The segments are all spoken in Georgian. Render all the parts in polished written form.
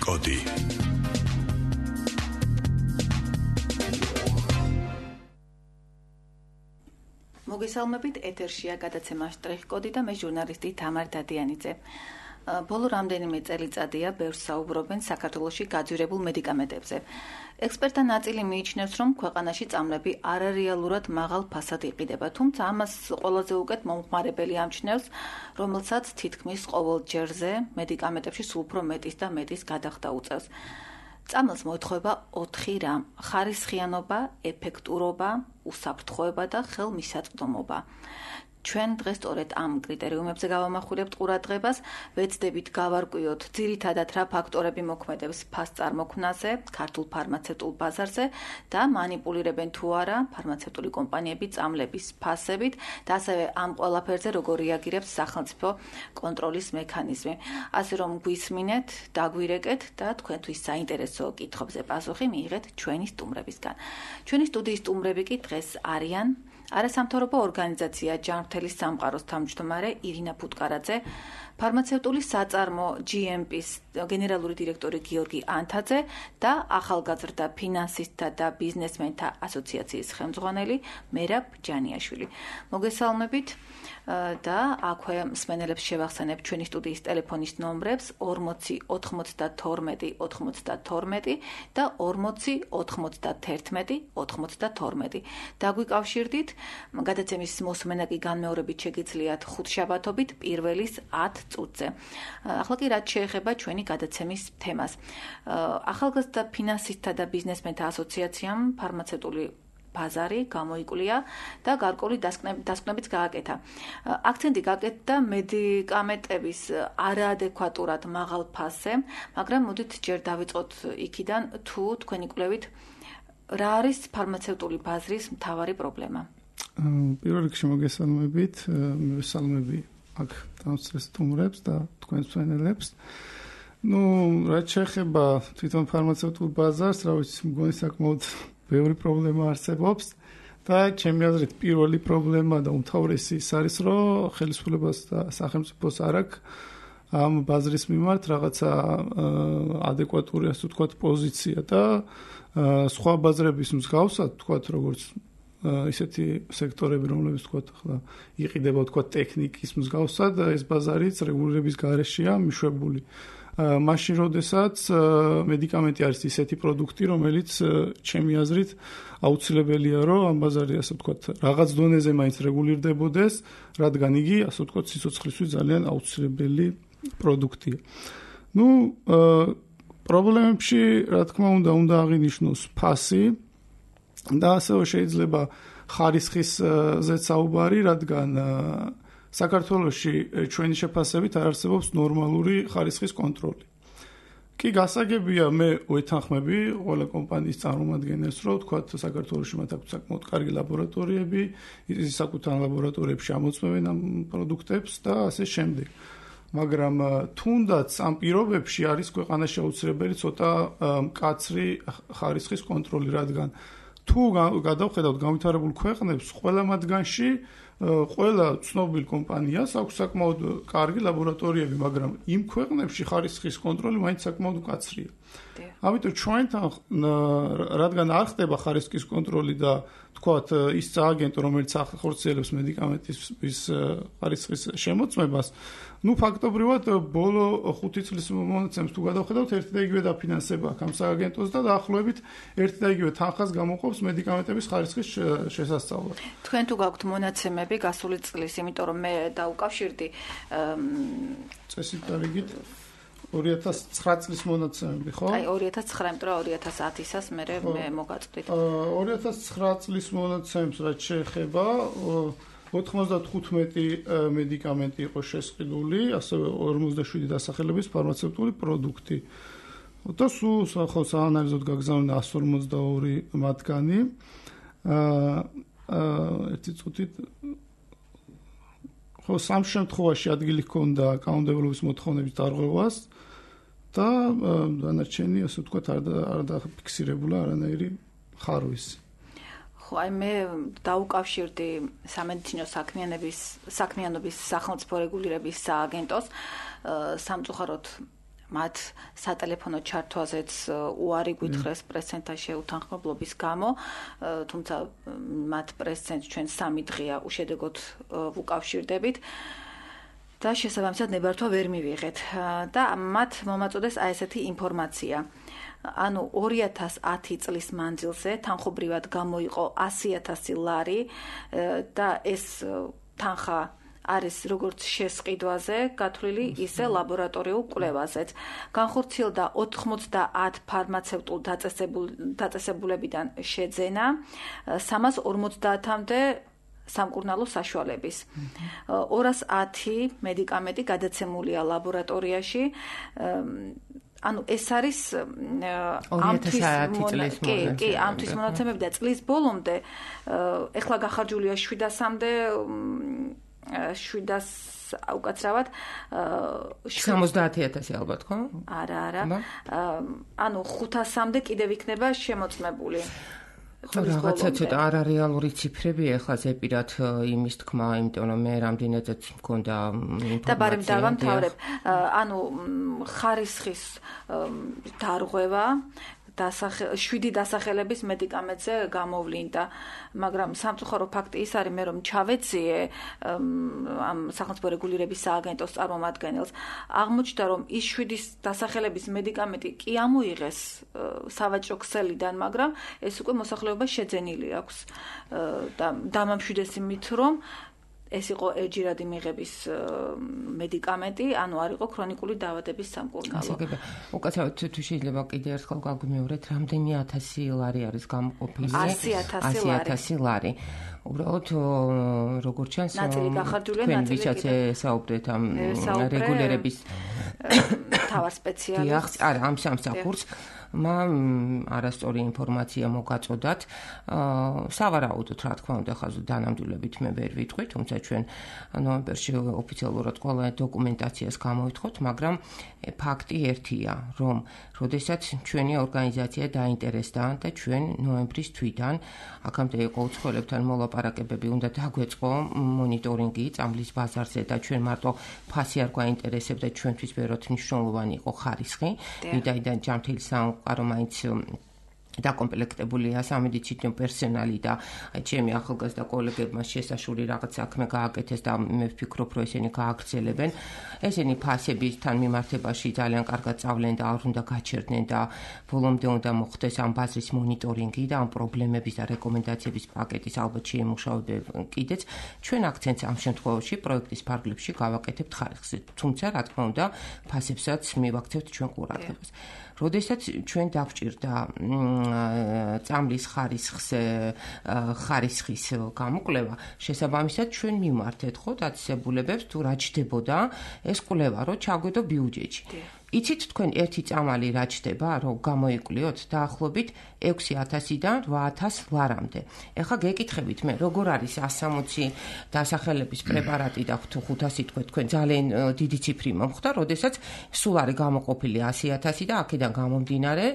კოდი. მოგესალმებით, ეთერშია გადაცემა შტრიხ-კოდი და მე ჟურნალისტი თამარ დადიანიძე. ბოლო რამდენიმე წელიწადია ბევრს საუბრობენ საქართველოში გაძვირებულ მედიკამენტებზე. ექსპერტთა ნაწილი მიიჩნევს, რომ ქვეყანაში წამლები არარეალურად მაღალ ფასად იყიდება, თუმცა ამას ყველაზე უკეთ მომხმარებელი ამჩნევს, რომელსაც თითქმის ყოველ ჯერზე მედიკამენტებში სულ უფრო მეტის და მეტის გადახდა უწევს. წამლს მოეთხოვება 4 რამ: ხარისხიანობა, ეფექტურობა, უსაფრთხოება და ხელმისაწვდომობა. ჩვენ დღეს სწორედ ამ კრიტერიუმებზე გავამახვილებთ ყურადღებას, ვეცდებით გავარკვიოთ ძირითადად რა ფაქტორები მოქმედებს ფასწარმოქმნაზე, ქართულ ფარმაცევტულ ბაზარზე და მანიპულირებენ თუ არა ფარმაცევტული კომპანიები წამლების ფასებით და ასევე ამ ყველაფერზე როგორ რეაგირებს სახელმწიფო კონტროლის მექანიზმი. ასე რომ გვისმინეთ, დაგვირეკეთ და თქვენთვის საინტერესო კითხვებზე პასუხი მიიღეთ ჩვენი სტუმრებისგან. ჩვენი სტუდიის სტუმრები კი დღეს არიან არასამთავრობო ორგანიზაცია ჯანმრთელის სამყაროს თავმჯდომარე ირინა ფუტკარაძე, ფარმაცევტული საწარმო GMP-ს გენერალური დირექტორი გიორგი ანთაძე და ახალგაზრდა ფინანსისტთა და ბიზნესმენთა ასოციაციის ხელმძღვანელი მერაბ ჯანიაშვილი. მოგესალმებით და აქვე მსმენელებს შევახსენებ ჩვენი სტუდიის ტელეფონის ნომრებს 40 92 92 და 40 91 92. დაგვიკავშირდით. გადაცემის მოსმენა კი განმეორებით შეგიძლიათ ხუთშაბათობით პირველის 10 წუთზე. ახლა კი რაც შეეხება ჩვენი გადაცემის თემას. ახალგაზრდა ფინანსისტთა და ბიზნესმენთა ასოციაციამ ფარმაცევტული ბაზარი გამოიკვლია და გარკვეული დასკვნებიც გააკეთა. აქცენტი გააკეთა მედიკამენტების არაადეკვატურად მაღალ ფასზე, მაგრამ მოდით ჯერ დავიწყოთ იქიდან, თუ თქვენი კვლევით რა არის ფარმაცევტული ბაზრის მთავარი პრობლემა? პირველ რიგში მოგესალმებით, მივესალმები აქ დამსწრეს სტუმრებს და თქვენს მსმენელებს. რაც შეეხება თვითონ ფარმაცევტულ ბაზარს, რა ვიცი, მგონი საკმაოდ ბევრი პრობლემა არსებობს და ჩემი აზრით პირველი პრობლემა და უმთავრესი ის არის, რომ ხელისუფლებას და სახელმწიფოს არ აქვს ამ ბაზრის მიმართ რაღაცა ადეკვატური, ასე ვთქვათ, პოზიცია და სხვა ბაზრების მსგავსად, ვთქვათ, როგორც ისეთი სექტორები, რომლებიც ვთქვათ, ახლა იყიდება, ვთქვათ, ტექნიკის მსგავსად, ეს ბაზარიც რეგულირების გარეშეა მიშვებული. მაშინ, როდესაც მედიკამენტი არის ისეთი პროდუქტი, რომელიც ჩემი აზრით აუცილებელია, რომ ამ ბაზარი, ასე ვთქვათ, რაღაც დონეზე მაინც რეგულირდებოდეს, რადგან იგი, ასე ვთქვათ, სიცოცხლისთვის ძალიან აუცილებელი პროდუქტია. პრობლემებში, რა თქმა უნდა აღინიშნოს ფასი და ასევე შეიძლება ხარისხისზეც საუბარი, რადგან საქართველოში ჩვენი შეფასებით არ არსებობს ნორმალური ხარისხის კონტროლი. კი გასაგებია, მე ვეთანხმები ყველა კომპანიის წარმომადგენელს, რომ ვთქვათ, საქართველოში მათ აქვს საკმაოდ კარგი ლაბორატორიები, საკუთარ ლაბორატორიებში ამოწმებენ ამ პროდუქტებს და ასე შემდეგ. მაგრამ თუნდაც ამ პირობებში არის ქვეყანაში აუცილებელი ცოტა მკაცრი ხარისხის კონტროლი, რადგან თუ გადავხედავთ განვითარებულ ქვეყნებს, ყველა მათგანში ყველა ცნობილ კომპანიას აქვს საკმაოდ კარგი ლაბორატორიები, მაგრამ იმ ქვეყნებში ხარისხის კონტროლი მაინც საკმაოდ მკაცრია. ამიტომ ჩვენთან, რადგან არ ხდება ხარისხის კონტროლი და თქვათ ის სააგენტო, რომელიც ახორციელებს მედიკამენტის ხარისხის შემოწმებას, ფაქტობრივად ბოლო 5 წლის მონაცემს თუ გადავხედავთ, ერთი და იგივე დაფინანსება აქვს ამ სააგენტოს და დაახლოებით ერთი და იგივე თანხას გამოყოფს მედიკამენტების ხარისხის შესასწავლად. თქვენ თუ გაქვთ მონაცემები გასული წლის, იმიტომ რომ მე დავუკავშირდი წესით დარიგით 2009 წლის მონაცემები, ხო? აი 2009, მეტყვი 2010-ისას მე მოგაწყვით. 2009 წლის მონაცემს რაც შეეხება 95 მედიკამენტი იყო შესყიდული, ასევე 47 დასახელების ფარმაცევტული პროდუქტი. და სულ საანალიზოდ გაგზავნა 152 მათგანი. ერთი წუთით სამ შემთხვევაში ადგილი ჰქონდა კანონმდებლობის მოთხოვნების დარღვევას და დანარჩენი, ასე ვთქვათ, არ დაფიქსირებულა არანაირი ხარვისი. ხო, აი მე დაუკავშირდი სამედიცინო საქმიანობის სახელმწიფო რეგულირების სააგენტოს, სამწუხაროდ მათ სატელეფონო ჩართვაზეც უარი გვითხრეს პრესცენტრთან შეუთანხმებლობის გამო, თუმცა მათ პრესცენტრს ჩვენ 3 დღეა უშედეგოდ ვუკავშირდებით და შესაბამისად ნებართვა ვერ მივიღეთ და მათ მომაწოდეს აი ესეთი ინფორმაცია. ანუ 2010 წლის მანძილზე თანხობრივად გამოიყო 100,000 ლარი და ეს თანხა არის როგორც შესყიდვაზე გათვლილი, ისე ლაბორატორიულ კვლევაზეც. განხორციელდა 90 ფარმაცევტულ დაწესებულებიდან შეძენა 350-მდე სამკურნალო საშუალების. 210 მედიკამენტი გადაცემულია ლაბორატორიაში. ანუ ეს არის ამთვის მონაცემები და წლის ბოლომდე ეხლა გახარჯულია 700-მდე 700 უკაცრავად 70,000 ალბათ ხო? არა. ანუ 500-მდე კიდევ იქნება შემოწმებული. ხო, რაღაცა ცოტა არარეალური ციფრები ეხლა ზეპირად იმის თქმა, იმიტომ რომ მე რამდენადაც მქონდა ინფორმაცია. და ბარემ დავამთავრებ. ანუ ხარისხის დარღვევა 7 დასახელების მედიკამენტზე გამოვლინდა, მაგრამ სამწუხარო ფაქტი ის არის, მე რომ ჩავეციე ამ სახელმწიფო რეგულირების სააგენტოს წარმომადგენელს, აღმოჩნდა რომ ის 7 დასახელების მედიკამენტი კი ამოიღეს სავაჭრო ქსელიდან, მაგრამ ეს უკვე მოსახლეობას შეძენილი აქვს და დამამშვიდეს იმით, რომ ეს იყო ერთჯერადი მიღების მედიკამენტი, ანუ არ იყო ქრონიკული დაავადების სამკურნალო. უკაცრავად თუ შეიძლება კიდე ერთხელ გაგვიმეორეთ, რამდენი 1000 ლარი არის გამოყოფილი? 100,000 ლარი. უბრალოდ როგორც ჩანს, ნაწილი გახარჯულია, ნაწილი კიდე საუბრეთ ამ რეგულირების თავარ სპეციალისტს. არა, ამ სამსახურს არასწორი ინფორმაცია მოგაწოდათ. სავარაუდოდ, რა თქმა უნდა, ხაზ დანამდვილებით მე ვერ ვიტყვი, თუმცა ჩვენ ნოემბერში ოფიციალურად ყველა დოკუმენტაციას გამოვითხოთ, მაგრამ ფაქტი ერთია, რომ როდესაც ჩვენი ორგანიზაცია დაინტერესდა და ჩვენ ნოემბრის თვიდან აქამდე იყო უცხოელებთან მოლაპარაკებები, უნდა დაგვეწყო მონიტორინგი წამლის ბაზარზე და ჩვენ მარტო ფასი არ გვაინტერესებდა, ჩვენთვის ბევრად მნიშვნელოვანი იყო ხარისხი, ვიდრე ჯანმრთელი სამყარო მაინც დაკომპლექტებულია სამედიცინო პერსონალი და ჩემი ახალგაზრდა კოლეგებმა შესაშური რაღაც საქმე გააკეთეს და მე ვფიქრობ, რომ ესენი გააგრძელებენ. ესენი ფასებისთან მიმართებაში ძალიან კარგად სწავლენ და არ უნდა გაჩერდნენ და ბოლომდე უნდა მოხდეს ამ ბაზრის მონიტორინგი და ამ პრობლემების და რეკომენდაციების პაკეტის ალბათ შეიმუშავება კიდეც. ჩვენ აქცენტს ამ შემთხვევაში პროექტის ფარგლებში გავაკეთებთ ხარისხზე, თუმცა რა თქმა უნდა ფასებსაც მივაქცევთ ჩვენ ყურადღებას. როდესაც ჩვენ დავჭირდა წამლის ხარისხის გამოკვლევა, შესაბამისად ჩვენ მიმართეთ ხო დაწესებულებებს თუ რა ჩდებოდა ეს კვლევა, რომ ჩაგვედო ბიუჯეტში. იცით თქვენ ერთი წამალი რა ჩდება, რომ გამოიკვლიოთ დაახლოებით 6,000-დან 8,000 ლარამდე. ეხლა გეკითხებით მე, როგორ არის 160 დასახელების პრეპარატი და 500 თქვენ ძალიან დიდი ციფრი მომხდა, როდესაც სულ არის გამოყოფილი 100,000 და აქედან გამომდინარე,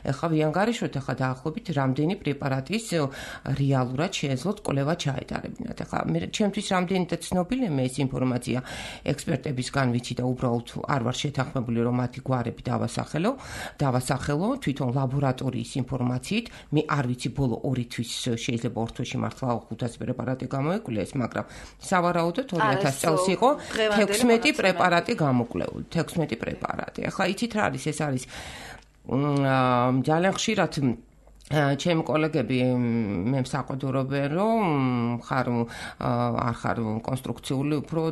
ეხლა ვიანგარიშოთ ეხლა დაახლოებით რამდენი პრეპარატის რეალურად შეეძლოთ კვლევა ჩაეტარებინათ. ეხლა მე ჩემთვის რამდენადაც ცნობილია მე ეს ინფორმაცია ექსპერტებისგან ვიცი და უბრალოდ არ ვარ შეთანხმებული რომ მათი გვარები დავასახელო თვითონ ლაბორატორიის ინფორმაციით. მე არ ვიცი ბოლო 2 თვის შეიძლება 2 თვეში მართლა 500 პრეპარატი გამოიკვლიეს, მაგრამ სავარაუდოდ 2000 წელს იყო 16 პრეპარატი გამოკვლეული, 16 პრეპარატი. ახლა იცით რა არის, ეს არის ძალიან ხშირად ჩემი კოლეგები მე მსაყვედურობენ, რომ არ ხარ კონსტრუქციული, უფრო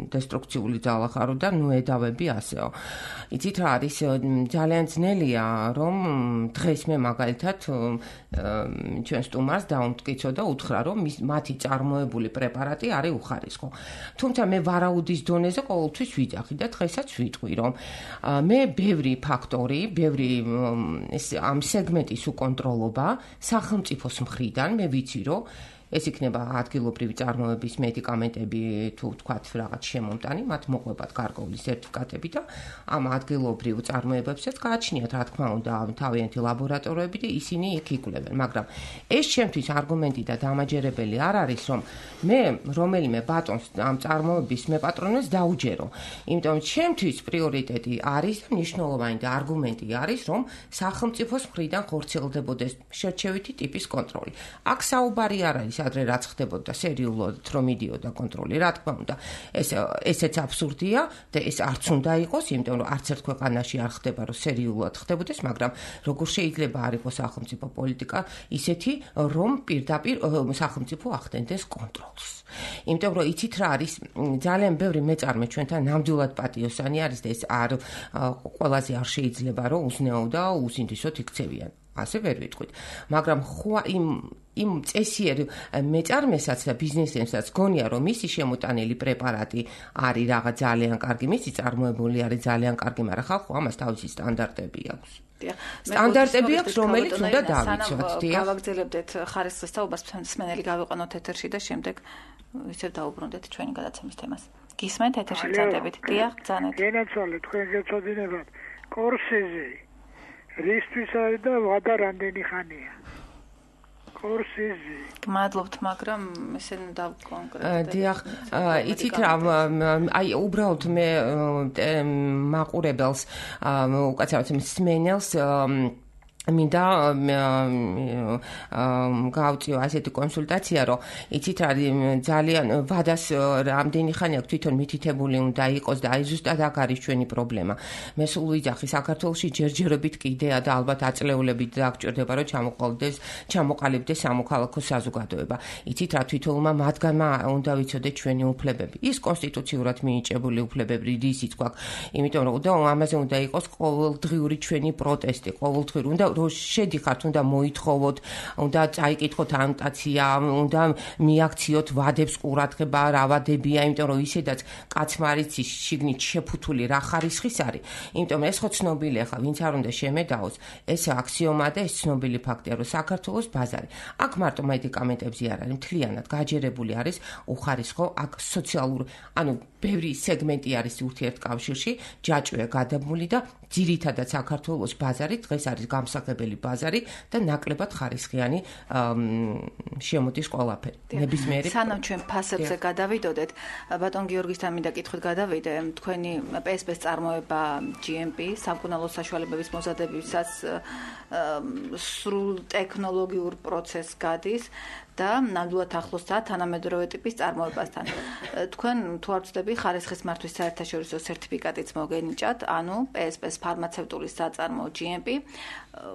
დესტრუქციული ძალა ხარო და ნუ ედავები ასეო. იცით რა არის, ძალიან ძნელია, რომ დღეს მე მაგალითად ჩვენ სტუმარს დაუმტკიცო და უთხრა, რომ მათი წარმოებული პრეპარატი არის უხარისხო. თუმცა მე ვარაუდის დონეზე ყოველთვის ვიძახი და დღესაც ვიტყვი, რომ მე ბევრი ფაქტორი, ბევრი ამ სეგმენტის უკონტროლობა სახელმწიფოს მხრიდან, მე ვიცი, რომ ეს იქნება ადგილობრივი წარმოების მედიკამენტები თუ ვთქვათ რაღაც შემომტანი, მათ მოყვებათ გარკვეული სერტიფიკატები და ამ ადგილობრივ წარმოებებსაც გააჩნიათ, რა თქმა უნდა, თავიანთი ლაბორატორიები და ისინი იქ იკვლევენ, მაგრამ ეს ჩემთვის არგუმენტი და დამაჯერებელი არ არის, რომ მე რომელიმე ბატონს ამ წარმოების მეპატრონეს დაუჯერო. იმიტომ ჩემთვის პრიორიტეტი არის და მნიშვნელოვანი და არგუმენტი არის, რომ სახელმწიფოს მხრიდან ხორციელდებოდეს შერჩევითი ტიპის კონტროლი. აქ საუბარი არ არის ადრე რაც ხდებოდა სერიულად რომ მიდიოდა კონტროლი. რა თქმა უნდა, ესეც აბსურდია და ეს არც უნდა იყოს, იმიტომ რომ არც ერთ ქვეყანაში არ ხდება რომ სერიულად ხდებოდეს, მაგრამ როგორ შეიძლება არ იყოს სახელმწიფო პოლიტიკა ისეთი, რომ პირდაპირ სახელმწიფო ახდენდეს კონტროლს. იმიტომ რომ იცით რა არის, ძალიან ბევრი მეწარმე ჩვენთან ნამდვილად პატიოსანი არის და ეს არ ყველაზე არ შეიძლება რომ უზნეო და უზინდისოდ იქცევიან. ასე ვერ ვიტყვით. მაგრამ ხო იმ წესიერ მეწარმესაც და ბიზნესმენსაც გონია რომ მისი შემოტანილი პრეპარატი არის რაღაც ძალიან კარგი, მისი წარმოებული არის ძალიან კარგი, მაგრამ ხალხო ამას თავისი სტანდარტები აქვს. სტანდარტები აქვს, რომელიც უნდა დავიცვათ. გავაგრძელებდეთ ხარისხის თაობას, მსმენელი გავიყვანოთ ეთერში და შემდეგ ისევ დაუბრუნდეთ ჩვენი გადაცემის თემას. გისმენთ ეთერში წადებით. დიახ, ძანეთ. გენაცვალე თქვენ გეწოდინებათ კორსეზი. რისთვის არის და ვადა რამდენი ხანია? კორსეზი. გმადლობთ, მაგრამ ესე დავკონკრეტებდეთ. დიახ, იცით რა, აი უბრალოდ მე მაყურებელს უკაცრავად მსმენელს მინდა გავწიო ასეთი კონსულტაცია, რომ იცით რა, ძალიან ვადას რამდენი ხანი აქვს თვითონ მითითებული უნდა იყოს და აი ზუსტად აქ არის ჩვენი პრობლემა. მე სულ ვიძახი საქართველოში ჯერჯერობით კიდეა და ალბათ აწლეულებით დაგჭირდება რომ ჩამოყალიბდეს სამოქალაქო საზოგადოება. იცით რა, თვითონმა მათგანმა უნდა ვიცოდეთ ჩვენი უფლებები. ის კონსტიტუციურად მინიჭებული უფლებები რისიც გვაქვს, იმიტომ რომ ამაზე უნდა იყოს ყოველდღიური ჩვენი პროტესტი, ყოველდღიური უნდა რომ შედიხართ, უნდა მოითხოვოთ, უნდა წაიკითხოთ ანოტაცია, უნდა მიაქციოთ ვადებს ყურადღება, რა ვადებია, იმიტომ რომ ისედაც კაცმა არის შიგნით შეფუთული რა ხარისხის არის. იმიტომ ეს ხო ცნობილია ხა, ვინც არ უნდა შემედაოს, ეს აქსიომა და ეს ცნობილი ფაქტია, რომ საქართველოს ბაზარი. აქ მარტო მედიკამენტებზე არ არის, მთლიანად გაჯერებული არის უხარისხო, აქ სოციალური, ანუ ბევრი სეგმენტი არის ურთიერთკავშირში, ჯაჭვია გადაბმული და ძირითადად საქართველოს ბაზარი დღეს არის გამსახებელი ბაზარი და ნაკლებად ხარისხიანი შემოდის ყველაფერი. ნებისმიერი. სანამ ჩვენ ფასებზე გადავიდოდეთ, ბატონ გიორგისთან მინდა კითხვით გადავიდე, თქვენი PSP-ს წარმოება GMP, სამკურნალო საშუალებების მოზადებისას სრულ ტექნოლოგიურ პროცესს გადის და ნამდვილად ახლოსაა თანამედროვე ტიპის წარმოებასთან. თქვენ თუ არ ვცდები, ხარისხის მართვის საერთაშორისო სერტიფიკატიც მოგენიჭათ, ანუ PSP-ს ფარმაცევტული საწარმო GMP,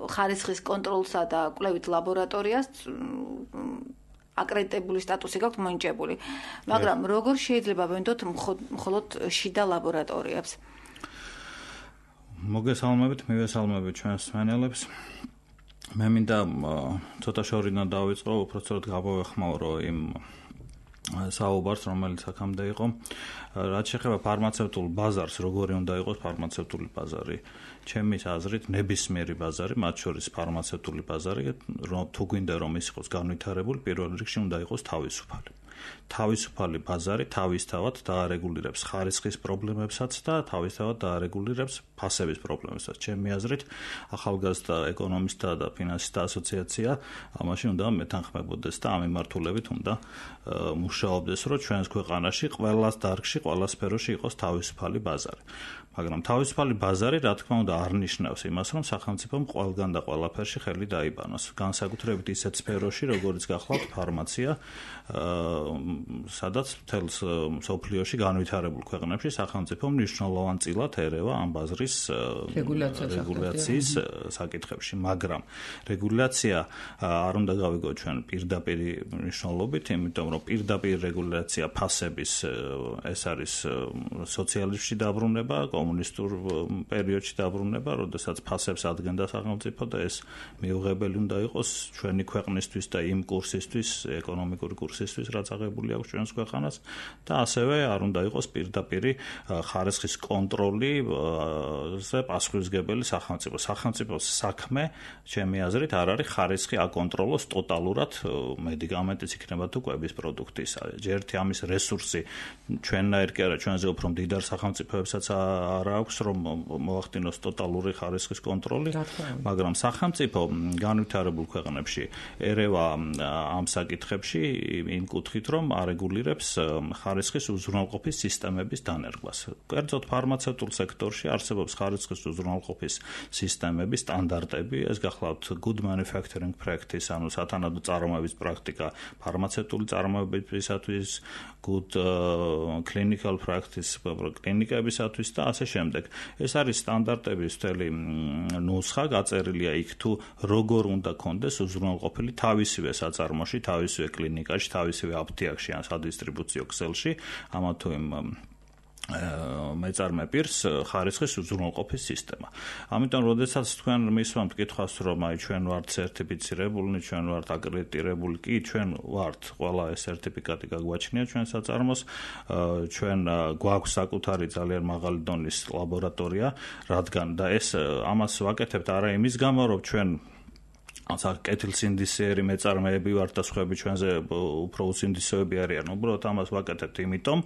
ხარისხის კონტროლსა და კვლევით ლაბორატორიას აკრედიტებული სტატუსი გაქვთ მოინჭებული. მაგრამ როგორ შეიძლება ვენდოთ მხოლოდ შიდა ლაბორატორიებს? მოგესალმებით, მივესალმებით ჩვენს მსმენელებს. მე მინდა ცოტა შორიდან დავიწყო, უბრალოდ გავეხმაურო იმ საუბარს, რომელიც აქამდე იყო. რაც შეეხება ფარმაცევტულ ბაზარს, როგორი უნდა იყოს ფარმაცევტული ბაზარი? ჩემის აზრით, ნებისმიერი ბაზარი, მათ შორის ფარმაცევტული ბაზარი, თუ გვინდა რომ ის იყოს განვითარებული, პირველ რიგში უნდა იყოს თავისუფალი. თავისუფალი ბაზარი თავისთავად დაარეგულირებს ხარისხის პრობლემებსაც და თავისთავად დაარეგულირებს ფასების პრობლემებსაც. ჩემი აზრით, ახალგაზრდა ეკონომისტთა და ფინანსისტთა ასოციაცია ამაში უნდა მეთანხმებოდეს და ამ მიმართულებით უნდა მუშაობდეს, რომ ჩვენს ქვეყანაში ყველა დარგში, ყველა სფეროში იყოს თავისუფალი ბაზარი. მაგრამ თავისუფალი ბაზარი, რა თქმა უნდა, არ ნიშნავს იმას, რომ სახელმწიფომ ყველგან და ყველაფერში ხელი დაიბანოს. განსაკუთრებით ისეთ სფეროში, როგორიც გახლავთ ფარმაცია, სადაც მთელს მსოფლიოში განვითარებულ ქვეყნებში სახელმწიფო მნიშვნელოვან წილად ერევა ამ ბაზრის რეგულაციის საკითხებში. მაგრამ რეგულაცია არ უნდა გავიგო ჩვენ პირდაპირ მნიშვნელობით, იმიტომ რომ პირდაპირ რეგულაცია ფასების ეს არის სოციალიზმში დაბრუნება, კომუნისტურ პერიოდში დაბრუნება, როდესაც ფასებს ადგენდა სახელმწიფო და ეს მიუღებელი უნდა იყოს ჩვენი ქვეყნისთვის და იმ კურსისთვის, ეკონომიკური კურსისთვის, რაც მიაღებული აქვს ჩვენს ქვეყანას და ასევე არ უნდა იყოს პირდაპირი ხარისხის კონტროლიზე პასუხისმგებელი სახელმწიფოს საქმე ჩემი აზრით არ არის ხარისხი აკონტროლოს ტოტალურად მედიკამენტის იქნება თუ კვების პროდუქტის ერთი ამის რესურსი ჩვენნაირ კი არა ჩვენზე უფრო მდიდარ სახელმწიფოებსაც არ აქვს რომ მოახდინოს ტოტალური ხარისხის კონტროლი მაგრამ სახელმწიფო განვითარებულ ქვეყნებში ერევა ამ საკითხებში იმ კუთხით რომ არეგულირებს ხარისხის უზრუნველყოფის სისტემების დანერგვას. კერძოდ ფარმაცევტულ სექტორში არსებობს ხარისხის უზრუნველყოფის სისტემების სტანდარტები, ეს გახლავთ good manufacturing practice, ანუ სათანადო წარმოების პრაქტიკა ფარმაცევტული წარმოებისათვის, good clinical practice კლინიკებისათვის და ასე შემდეგ. ეს არის სტანდარტების მთელი ნუსხა გაწერილია იქ თუ როგორ უნდა კონდეს უზრუნველყოფილი თავისივე საწარმოში, თავისივე კლინიკაში, თავისივე აფთიაქში ან სადისტრიბუციო ქსელში, ამა თუ იმ მეწარმე პირს ხარისხის უზრუნველყოფის სისტემა. ამიტომ, როდესაც თქვენ მისვამთ კითხვას, რომ აი ჩვენ ვართ სერტიფიცირებული, ჩვენ ვართ აკრედიტირებული, კი ჩვენ ვართ, ყველა ეს სერტიფიკატი გაგვაჩნია ჩვენ საწარმოს, ჩვენ გვაქვს საკუთარი ძალიან მაღალი დონის ლაბორატორია, რადგან და ეს ამას ვაკეთებთ არა იმის გამო, რომ ჩვენ კეთილსინდისეერი მეწარმეები ვართ და სხვაები ჩვენზე უფრო უსინდისეები არიან, უბრალოდ ამას ვაკეთებთ იმიტომ,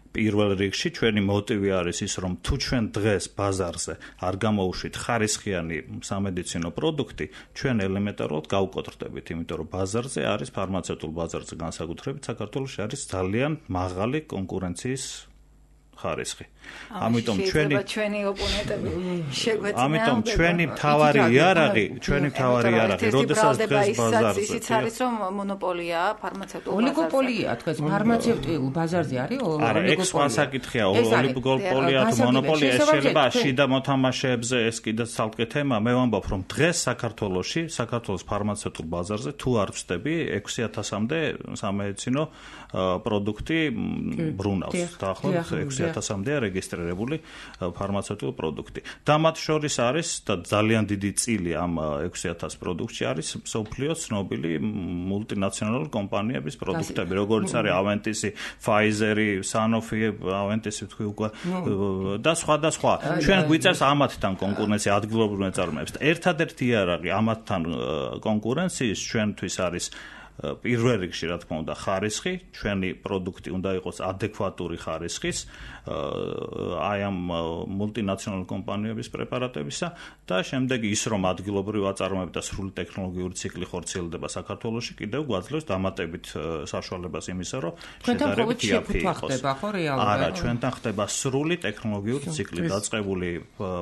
პირველ რიგში ჩვენი მოტივი არის ის, რომ თუ ჩვენ დღეს ბაზარზე არ გამოვუშვით ხარისხიანი სამედიცინო პროდუქტი, ჩვენ ელემენტარულად გავუკოტრდებით, იმიტომ რომ ბაზარზე არის ფარმაცევტულ ბაზარზე განსაკუთრებით საქართველოში არის ძალიან მაღალი კონკურენციის ხარისხი. ამიტომ ჩვენი ოპონენტები შეგვეწინა. ამიტომ ჩვენი მთავარი იარაღი, როდესაც დღეს ბაზარზე ისიც არის რომ მონოპოლია ფარმაცევტულ ბაზარზე. ოლიგოპოლია, თქვენ ფარმაცევტულ ბაზარზე არის ოლიგოპოლია. არა, ეს სხვა საკითხია, ოლიგოპოლია თუ მონოპოლია, ეს შეიძლება შიდა მოთამაშეებზე ეს კიდევ ცალკე თემა. მე ვამბობ, რომ დღეს საქართველოს ფარმაცევტულ ბაზარზე თუ არ ვწდები 6000-მდე სამედიცინო პროდუქტი ბრუნავს. დაახლოებით 6000-მდე რეგისტრირებული ფარმაცევტული პროდუქტი. და მათ შორის არის და ძალიან დიდი წილი ამ 6000 პროდუქტში არის მსოფლიოს ცნობილი მულტინაციონალური კომპანიების პროდუქტები, როგორც არის ავენტისი, ფაიზერი, სანოფი, ავენტისი თქვი უკვე და სხვა. ჩვენ გვიწევს ამათთან კონკურენცია ადგილობრივ მეწარმეებს. ერთადერთი იარაღი ამათთან კონკურენციის ჩვენთვის არის პირველ რიგში რა თქმა უნდა ხარისხი, ჩვენი პროდუქტი უნდა იყოს ადეკვატური ხარისხის აი ამ მულტინაციონალურ კომპანიების პრეპარატებისა და შემდეგ ის რომ ადგილობრივ აწარმოებს და სრული ტექნოლოგიური ციკლი ხორციელდება საქართველოში, კიდევ გვაძლევს დამატებით საშუალებას იმისა, რომ შედარებით იაფი იყოს. არა, ჩვენთან ხდება სრული ტექნოლოგიური ციკლი, დაწყებული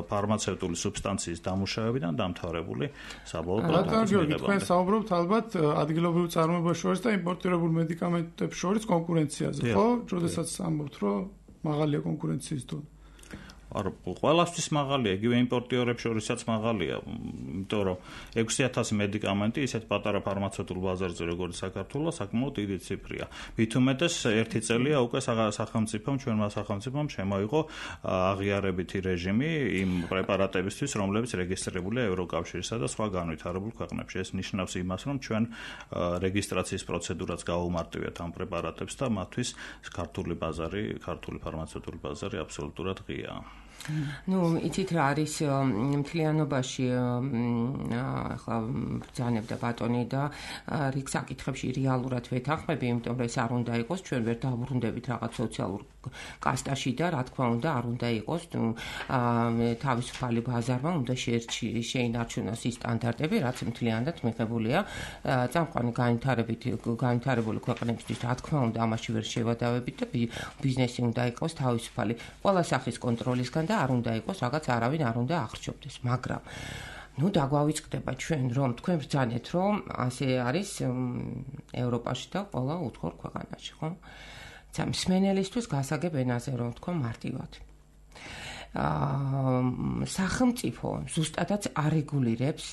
ფარმაცევტული სუბსტანციის დამუშავებიდან დამთავრებული საბოლოო პროდუქტის. თქვენ საუბრობთ ალბათ ადგილობრივ წარმოებას შორის და იმპორტირებულ მედიკამენტებს შორის კონკურენციაზე, ხო? როდესაც ამბობთ, რომ მაღალია კონკურენციის დონე. არა, ყველასთვის მაღალია, იგივე იმპორტიორებს შორისაც მაღალია, იმიტომ რომ 6000 მედიკამენტი ისეთ პატარა ფარმაცევტულ ბაზარზე, როგორც საქართველოს, საკმაოდ დიდი ციფრია. მით უმეტეს ერთი წელია უკვე ჩვენმა სახელმწიფომ შემოიღო აღიარებითი რეჟიმი იმ პრეპარატებისთვის, რომლებიც რეგისტრირებულია ევროკავშირსა და სხვა განვითარებულ ქვეყნებში. ეს ნიშნავს იმას, რომ ჩვენ რეგისტრაციის პროცედურაც გავუმარტივეთ ამ პრეპარატებს და მათთვის ქართული ფარმაცევტული ბაზარი აბსოლუტურად ღიაა. იცით რა არის მთლიანობაში ახლა ბრძანებდა ბატონი და რიგ საკითხებში რეალურად ვეთანხმები, იმიტომ რომ ეს არ უნდა იყოს, ჩვენ ვერ დავბრუნდებით რაღაც სოციალურ კასტაში და რა თქმა უნდა არ უნდა იყოს თავისუფალი ბაზარმა უნდა შეინარჩუნოს ის სტანდარტები, რაც მთლიანად მიღებულია წამყვანი განვითარებული ქვეყნებისთვის, რა თქმა უნდა ამაში ვერ შევადავებით და ბიზნესი უნდა იყოს თავისუფალი ყველა სახის კონტროლისგან და არ უნდა იყოს რაღაც არავინ არ უნდა ახრჩობდეს, მაგრამ დაგვავიწყდება ჩვენ რომ თქვენ ბრძანეთ რომ ასე არის ევროპაში და ყველა უცხოურ ქვეყანაში, ხო? მსმენელისთვის გასაგებ ენაზე რომ თქვა მარტივად. სახელმწიფო ზუსტადაც არეგულირებს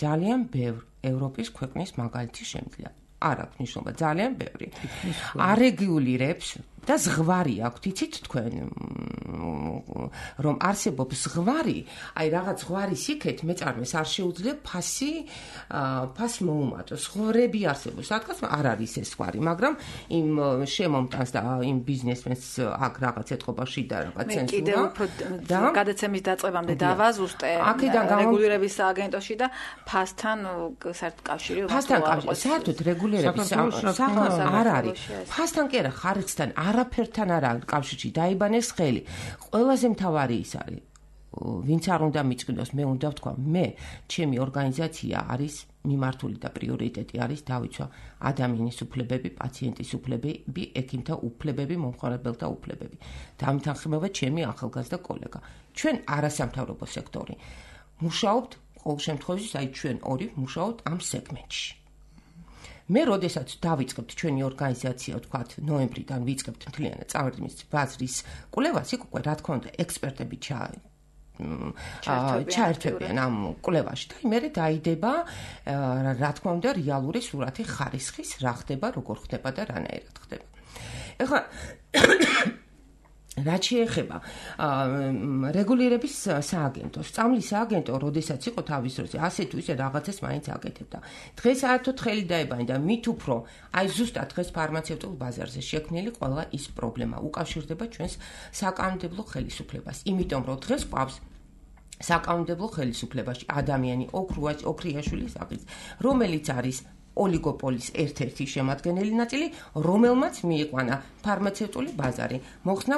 ძალიან ბევრ ევროპის ქვეყნის მაგალითის შემძლია. არ აქვს ნიშნობა, ძალიან ბევრი. არეგულირებს და ზღვარი აქვს, იცით თქვენ რომ არსებობს ზღვარი, აი რაღაც ზღვარის იქეთ მეწარმეს არ შეუძლია ფას მოუმატოს. ზღვრები არსებობს, რადგან არ არის ეს ზღვარი, მაგრამ იმ შემომტანს და იმ ბიზნესმენს აქ რაღაც ეთყობაში და რაღაც ცენზურა და გადაცემის დაწყებამდე დავაზუსტე რეგულირების სააგენტოში და ფასთან საერთოდ კავშირი საერთოდ რეგულირების არ არის. ფასთან კი არა, ხარისხთან არაფერთან არ არის კავშირში, დაიბანეს ხელი. ყველაზე მთავარი ის არის, ვინც არ უნდა მიწყნოს, მე უნდა ვთქვა, მე ჩემი ორგანიზაცია არის მიმართული და პრიორიტეტი არის დავიცვა ადამიანის უფლებები, პაციენტის უფლებები, ექიმთა უფლებები, მომხმარებელთა უფლებები. დამთანხმება ჩემი ახალგაზრდა კოლეგა. ჩვენ არასამთავრობო სექტორი მუშაობთ ყოველ შემთხვევაში, აი ჩვენ ორი მუშაობთ ამ სეგმენტში. მე როდესაც დავიწყებთ ჩვენი ორგანიზაცია, ვთქვათ, ნოემბრიდან ვიწყებთ მთლიანად წარდგმის ბაზრის კვლევას, იქ უკვე რა თქმა უნდა ექსპერტები ჩაერთვებიან ამ კვლევაში და მერე დაიდება რა თქმა უნდა რეალური სურათი ხარისხის, რა ხდება, როგორ ხდება და რანაირად ხდება. ეხლა რაც შეეხება რეგულირების სააგენტოს, სწამლის სააგენტო, როდესაც იყო თავის დროზე, ასე თუ ისე რაღაცას მაინც აკეთებდა. დღეს საერთოდ ხელი დაებანდა, მით უფრო, აი ზუსტად დღეს ფარმაცევტულ ბაზარზე შექმნილი ყველა ის პრობლემა უკავშირდება ჩვენს საკანონმდებლო ხელისუფლებას. იმიტომ რომ დღეს ყავს საკანონმდებლო ხელისუფლებაში ადამიანი ოქრიაშვილის აღიც, რომელიც არის ოლიგოპოლის ერთ-ერთი შემადგენელი ნაწილი, რომელმაც მიიყვანა ფარმაცევტული ბაზარი, მოხსნა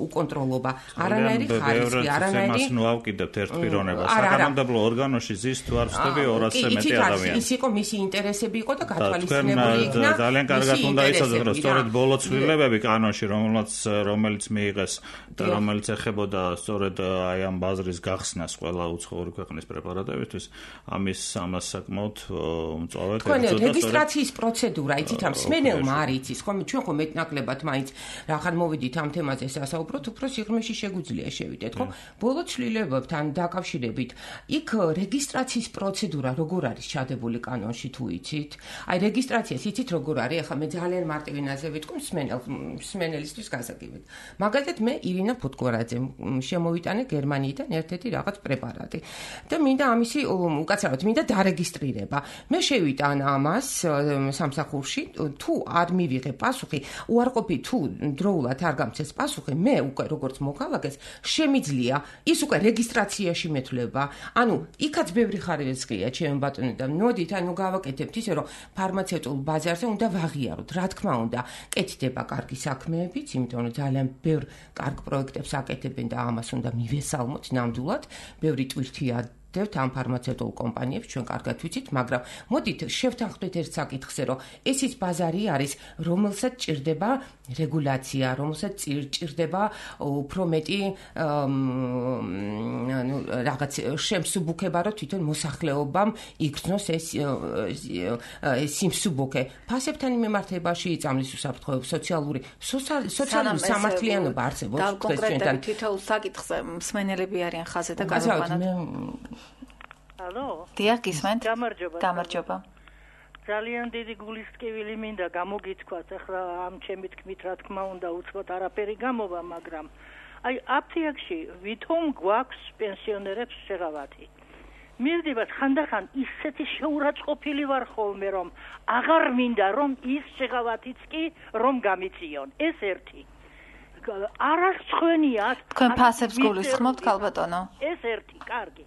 უკონტროლობა, არანაირი ხარისხი, არანაირი ნუ ავკიდებთ ერთ პიროვნებას. საკანონმდებლო ორგანოში ზის თუ არ ვსწრები 200-ზე მეტი ადამიანი. ის იყო მისი ინტერესები იყო და გათვალისწინებული იქნა. ძალიან კარგად უნდა იცოდეთ, რომ სწორედ ბოლო ცვლილებები კანონში, რომელიც მიიღეს და რომელიც ეხებოდა სწორედ აი ამ ბაზრის გახსნას ყველა უცხოური ქვეყნის პრეპარატებისთვის, ამას საკმაოდ თქვენ რეგისტრაციის პროცედურა იცით ამ სმენელმა არ იცის ხომ ჩვენ ხომ მეტნაკლებად მაინც რახან მოვიდით ამ თემაზე სასაუბროთ უფრო სიღრმეში შეგვიძლია შევიდეთ ხო ბოლო ცვლილებებთან დაკავშირებით იქ რეგისტრაციის პროცედურა როგორ არის ჩადებული კანონში თუ იცით აი რეგისტრაციას იცით როგორ არის ახლა მე ძალიან მარტივი ნაზე ვიტყვი სმენელისთვის გასაგებად მაგალითად მე ირინა ფუტკორაძე შემოვიტანე გერმანიიდან ერთ-ერთი რაღაც პრეპარატი და მინდა ამისი უკაცრავად მინდა დარეგისტრირება მე შევიტან ამას სამსახურში თუ არ მივიღე პასუხი უარყოფი თუ დროულად არ გამცეს პასუხი მე უკვე როგორც მოქალაქეს შემიძლია ის უკვე რეგისტრაციაში მეთვლება ანუ იქაც ბევრი ხარისხია ჩემ ბატონო და მოდით ანუ გავაკეთებთ ისე რომ ფარმაცევტულ ბაზარზე უნდა ვაღიაროთ რა თქმა უნდა კეთდება კარგი საქმეებიც იმიტომ რომ ძალიან ბევრ კარგ პროექტებს აკეთებენ და ამას უნდა მივესალმოთ ნამდვილად ბევრი ტვირთია ამ ფარმაცევტულ კომპანიებს ჩვენ კარგად ვიცით, მაგრამ მოდით შევთანხმდეთ ერთ საკითხზე, რომ ეს ის ბაზარი არის, რომელსაც ჭირდება რეგულაცია, რომელსაც ჭირდება უფრო მეტი რაღაც შემსუბუქება, რომ თვითონ მოსახლეობამ იგრძნოს ეს სიმსუბუქე. ფასებთან მიმართებაში წამლის უსაფრთხოება, სოციალური სამართლიანობა არსებობს konkretულად თითოეულ საკითხზე მსმენელები არიან ხაზზე და გადავყვანოთ. Алло. დიახ, გისმენთ? გამარჯობა. ძალიან დიდი გულისწყივილი მინდა გამოგითქვათ, ახლა ამ ჩემი თქმით რა თქმა უნდა უცხოთ არაფერი გამოვა, მაგრამ აი აფთიაქში ვითომ გვაქვს პენსიონერებს შეღავათი. მივდივართ ხანდახან ისეთი შეურაცხყოფილი ვარ ხოლმე რომ აღარ მინდა რომ ის შეღავათიც კი რომ გამიწიონ. ეს ერთი. არასწვენიათ. თქვენ ფასებს გულისხმობთ, ქალბატონო? ეს ერთი, კარგი.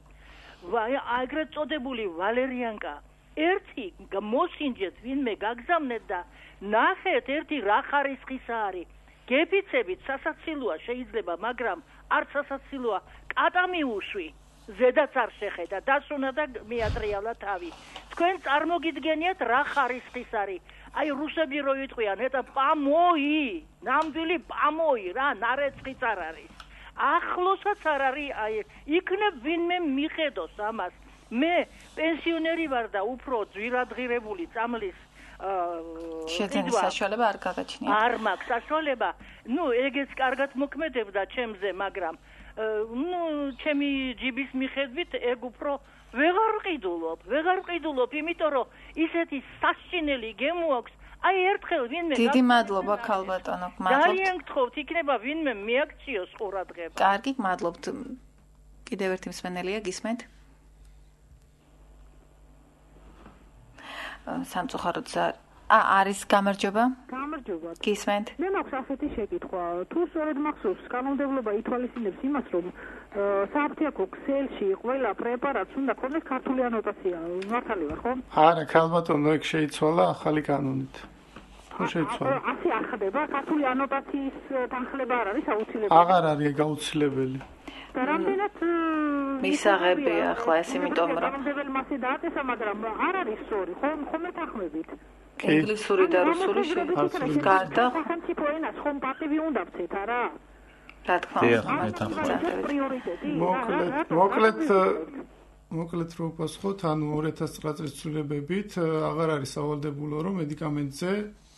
აგრეთ წოდებული ვალერიანკა ერთი მოსინჯეთ ვინმე გაგზავნეთ და ნახეთ ერთი რა ხარისხისა არის გეფიცებით სასაცილოა შეიძლება მაგრამ არ სასაცილოა კატა მიუშვი ზედაც არ შეხედა დასუნა და მიატრიალა თავი თქვენ წარმოგიდგენიათ რა ხარისხის არის აი რუსები რო იტყვიან eta პამოი ნამდვილი პამოი რა ნარეცხიც არ არის ახლოსაც არ არის აი იქნებ ვინმე მიხედოს ამას მე პენსიონერი ვარ და უფრო ძვირადღირებული წამლის შეძენის საშუალება არ გაგაჩნია არ მაქვს საშუალება ნუ ეგეც კარგად მოქმედებდა ჩემზე მაგრამ ნუ ჩემი ჯიბის მიხედვით ეგ უფრო ვეღარ ვყიდულობ იმიტომ რომ ისეთი სასჩინელი გემო აქვს აი ერთხელ ვინმე დიდი მადლობა ქალბატონო, მადლობთ. ძალიან გთხოვთ, იქნება ვინმე მიაქციოს ყურადღება. კარგი, მადლობთ. კიდევ ერთი მსმენელია, გისმენთ? სამწუხაროდ არის გამარჯობა? გამარჯობა. გისმენთ? მე მაქვს ასეთი შეკითხვა. თუ სწორედ მახსოვს, კანონმდებლობა ითვალისწინებს იმას, რომ საფთიაქო ქსელში ყველა პრეპარატს უნდა ქონდეს ქართული ანოტაცია. მართალი ვარ, ხო? არა, ქალბატონო, ეგ შეიცვალა ახალი კანონით. ხო შეიცვალა. ასე არ ხდება, ქართული ანოტაციის თანხლება არ არის აუცილებელი. აღარ არის ეგ აუცილებელი. და რამდენად მისაღებია ახლა ეს, იმიტომ რომ კანონმდებელი მასე დააწესა, მაგრამ არ არის სწორი, ხომ მეთანხმებით? ინგლისური და რუსული გარდა სახელმწიფო ენას ხომ პატივი უნდა ვცეთ, არა? რა თქმა უნდა. მოკლედ რო პასუხოთ, ანუ 2009 წლის ცვლილებებით აღარ არის სავალდებულო, რომ მედიკამენტზე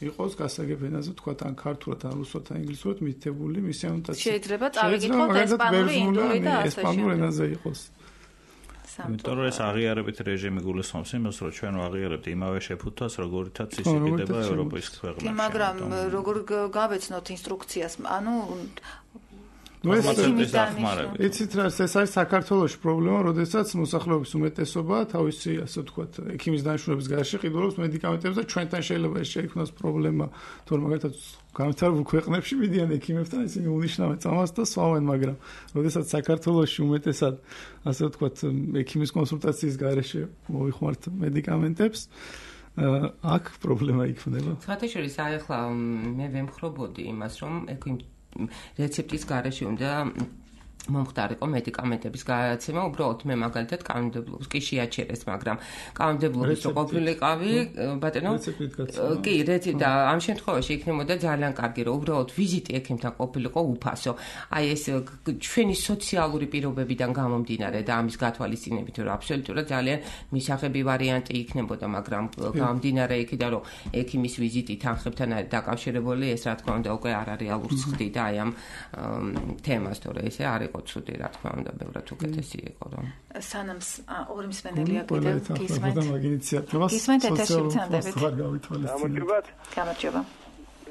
იყოს გასაგებ ენაზე, თქვა თან ქართულად, ან რუსულად, ან ინგლისურად მითითებული მისი ანოტაცია. შეიძლება წავიკითხოთ ესპანური, ინდური და ასე ესპანურ ენაზე იყოს. იმიტომ რომ ეს აღიარებით რეჟიმი გულისხმობს იმას, რომ ჩვენ ვაღიარებთ იმავე შეფუთვას, როგორითაც იზრდება ევროპის ქვეყნებში. მაგრამ როგორ გავეცნოთ ინსტრუქციას, ანუ იცით რა, ეს არის საქართველოს პრობლემა, როდესაც მოსახლეობის უმეტესობა თავისი, ასე ვთქვათ, ექიმის დანიშნულების გარშე ყიდულობს მედიკამენტებს და ჩვენთან შეიძლება ეს შეიქმნას პრობლემა, თუ მაგალითად განვითარებულ ქვეყნებში მიდიან ექიმებთან, ისინი უნიშნავენ წამას და სვავენ, მაგრამ როდესაც საქართველოში უმეტესად, ასე ვთქვათ, ექიმის კონსულტაციის გარშე მოიხმართ მედიკამენტებს, აქ პრობლემა იქნება. სხვათაშორის აი ახლა მე ვემხრობოდი იმას, რომ რეცეპტის გარეშე უნდა მომხდარიყო მედიკამენტების გადაცემა, უბრალოდ მე მაგალითად კანონმდებლობის კი შეაჩერეს, მაგრამ კანონმდებლობის რო ყოფილიყავი, ბატონო, კი, და ამ შემთხვევაში იქნებოდა ძალიან კარგი, რომ უბრალოდ ვიზიტი ექიმთან ყოფილიყო უფასო. აი ეს ჩვენი სოციალური პირობებიდან გამომდინარე და ამის გათვალისწინებით, რომ აბსოლუტურად ძალიან მისაღები ვარიანტი იქნებოდა, მაგრამ გამომდინარე იქიდან, რომ ექიმის ვიზიტი თანხებთან არის დაკავშირებული, ეს რა თქმა უნდა უკვე არარეალურს ხდიდა აი ამ თემას, თორე ესე არის ცუდი, რა თქმა უნდა, ბევრად უკეთესი იყო, რომ სანამ ორი მსმენელია კიდევ გისმენთ ეთერში ვცანდებით. გამარჯობა.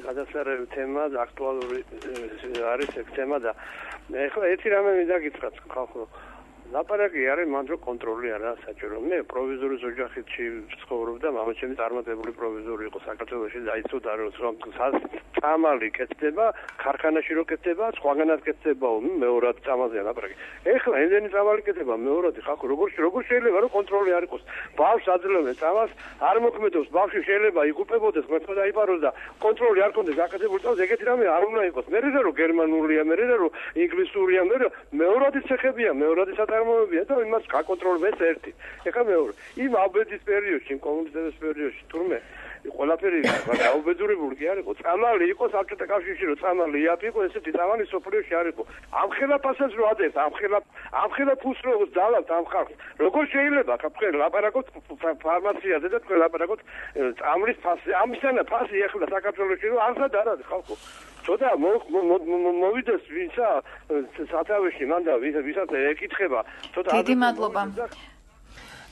გადასარევი თემა, აქტუალური არის ეს თემა და ეხლა ერთი რამე მინდა გითხრათ ხალხო. ლაპარაკი არის მანდ რო კონტროლი არა საჭირო. მე პროვიზორის ოჯახში ცხოვრობდა, მამაჩემი წარმატებული პროვიზორი იყო საქართველოში, დაიცოდა რომ წამალი კეთდება, ქარხანაში რო კეთდება, სხვაგანაც კეთდებაო, მეორად წამალზეა ლაპარაკი. ეხლა იმდენი წამალი კეთდება, მეორადი ხალხო, როგორ შეიძლება რომ კონტროლი არ იყოს? ბავშვს აძლევენ წამალს, არ მოქმედებს, ბავშვი შეიძლება იგუპებოდეს, მეტყვა დაიპაროს და კონტროლი არ კონდეს აკადემიურ წამალს, ეგეთი რამე არ უნდა იყოს. მე რომ გერმანულია, მე რომ ინგლისურია, მე მეორადი ცეხებია, მეორადი მოებია და იმას გაკონტროლებს ერთი. ეხლა მეორე. იმ აბედის პერიოდში, კომუნისტების პერიოდში თურმე ყველაფერი გაუბედურებული კი არ იყო. წამალი იყო საბჭოთა კავშირში, რომ წამალი იაფი იყო, ესეთი წამალი სოფლიოში არ იყო. ამხელა ფასებს რო ადეს, ამხელა ფულს რო ძალავთ ამ ხალხს. როგორ შეიძლება თქვენ ლაპარაკობთ ფარმაციაზე და თქვენ ლაპარაკობთ წამლის ფასზე. ამისანა ფასი ეხლა საქართველოში რომ არცად არ არის ხალხო. ცოტა მოვიდეს ვისა სათავეში მანდა ვისაც ეკითხება ცოტა დიდი მადლობა.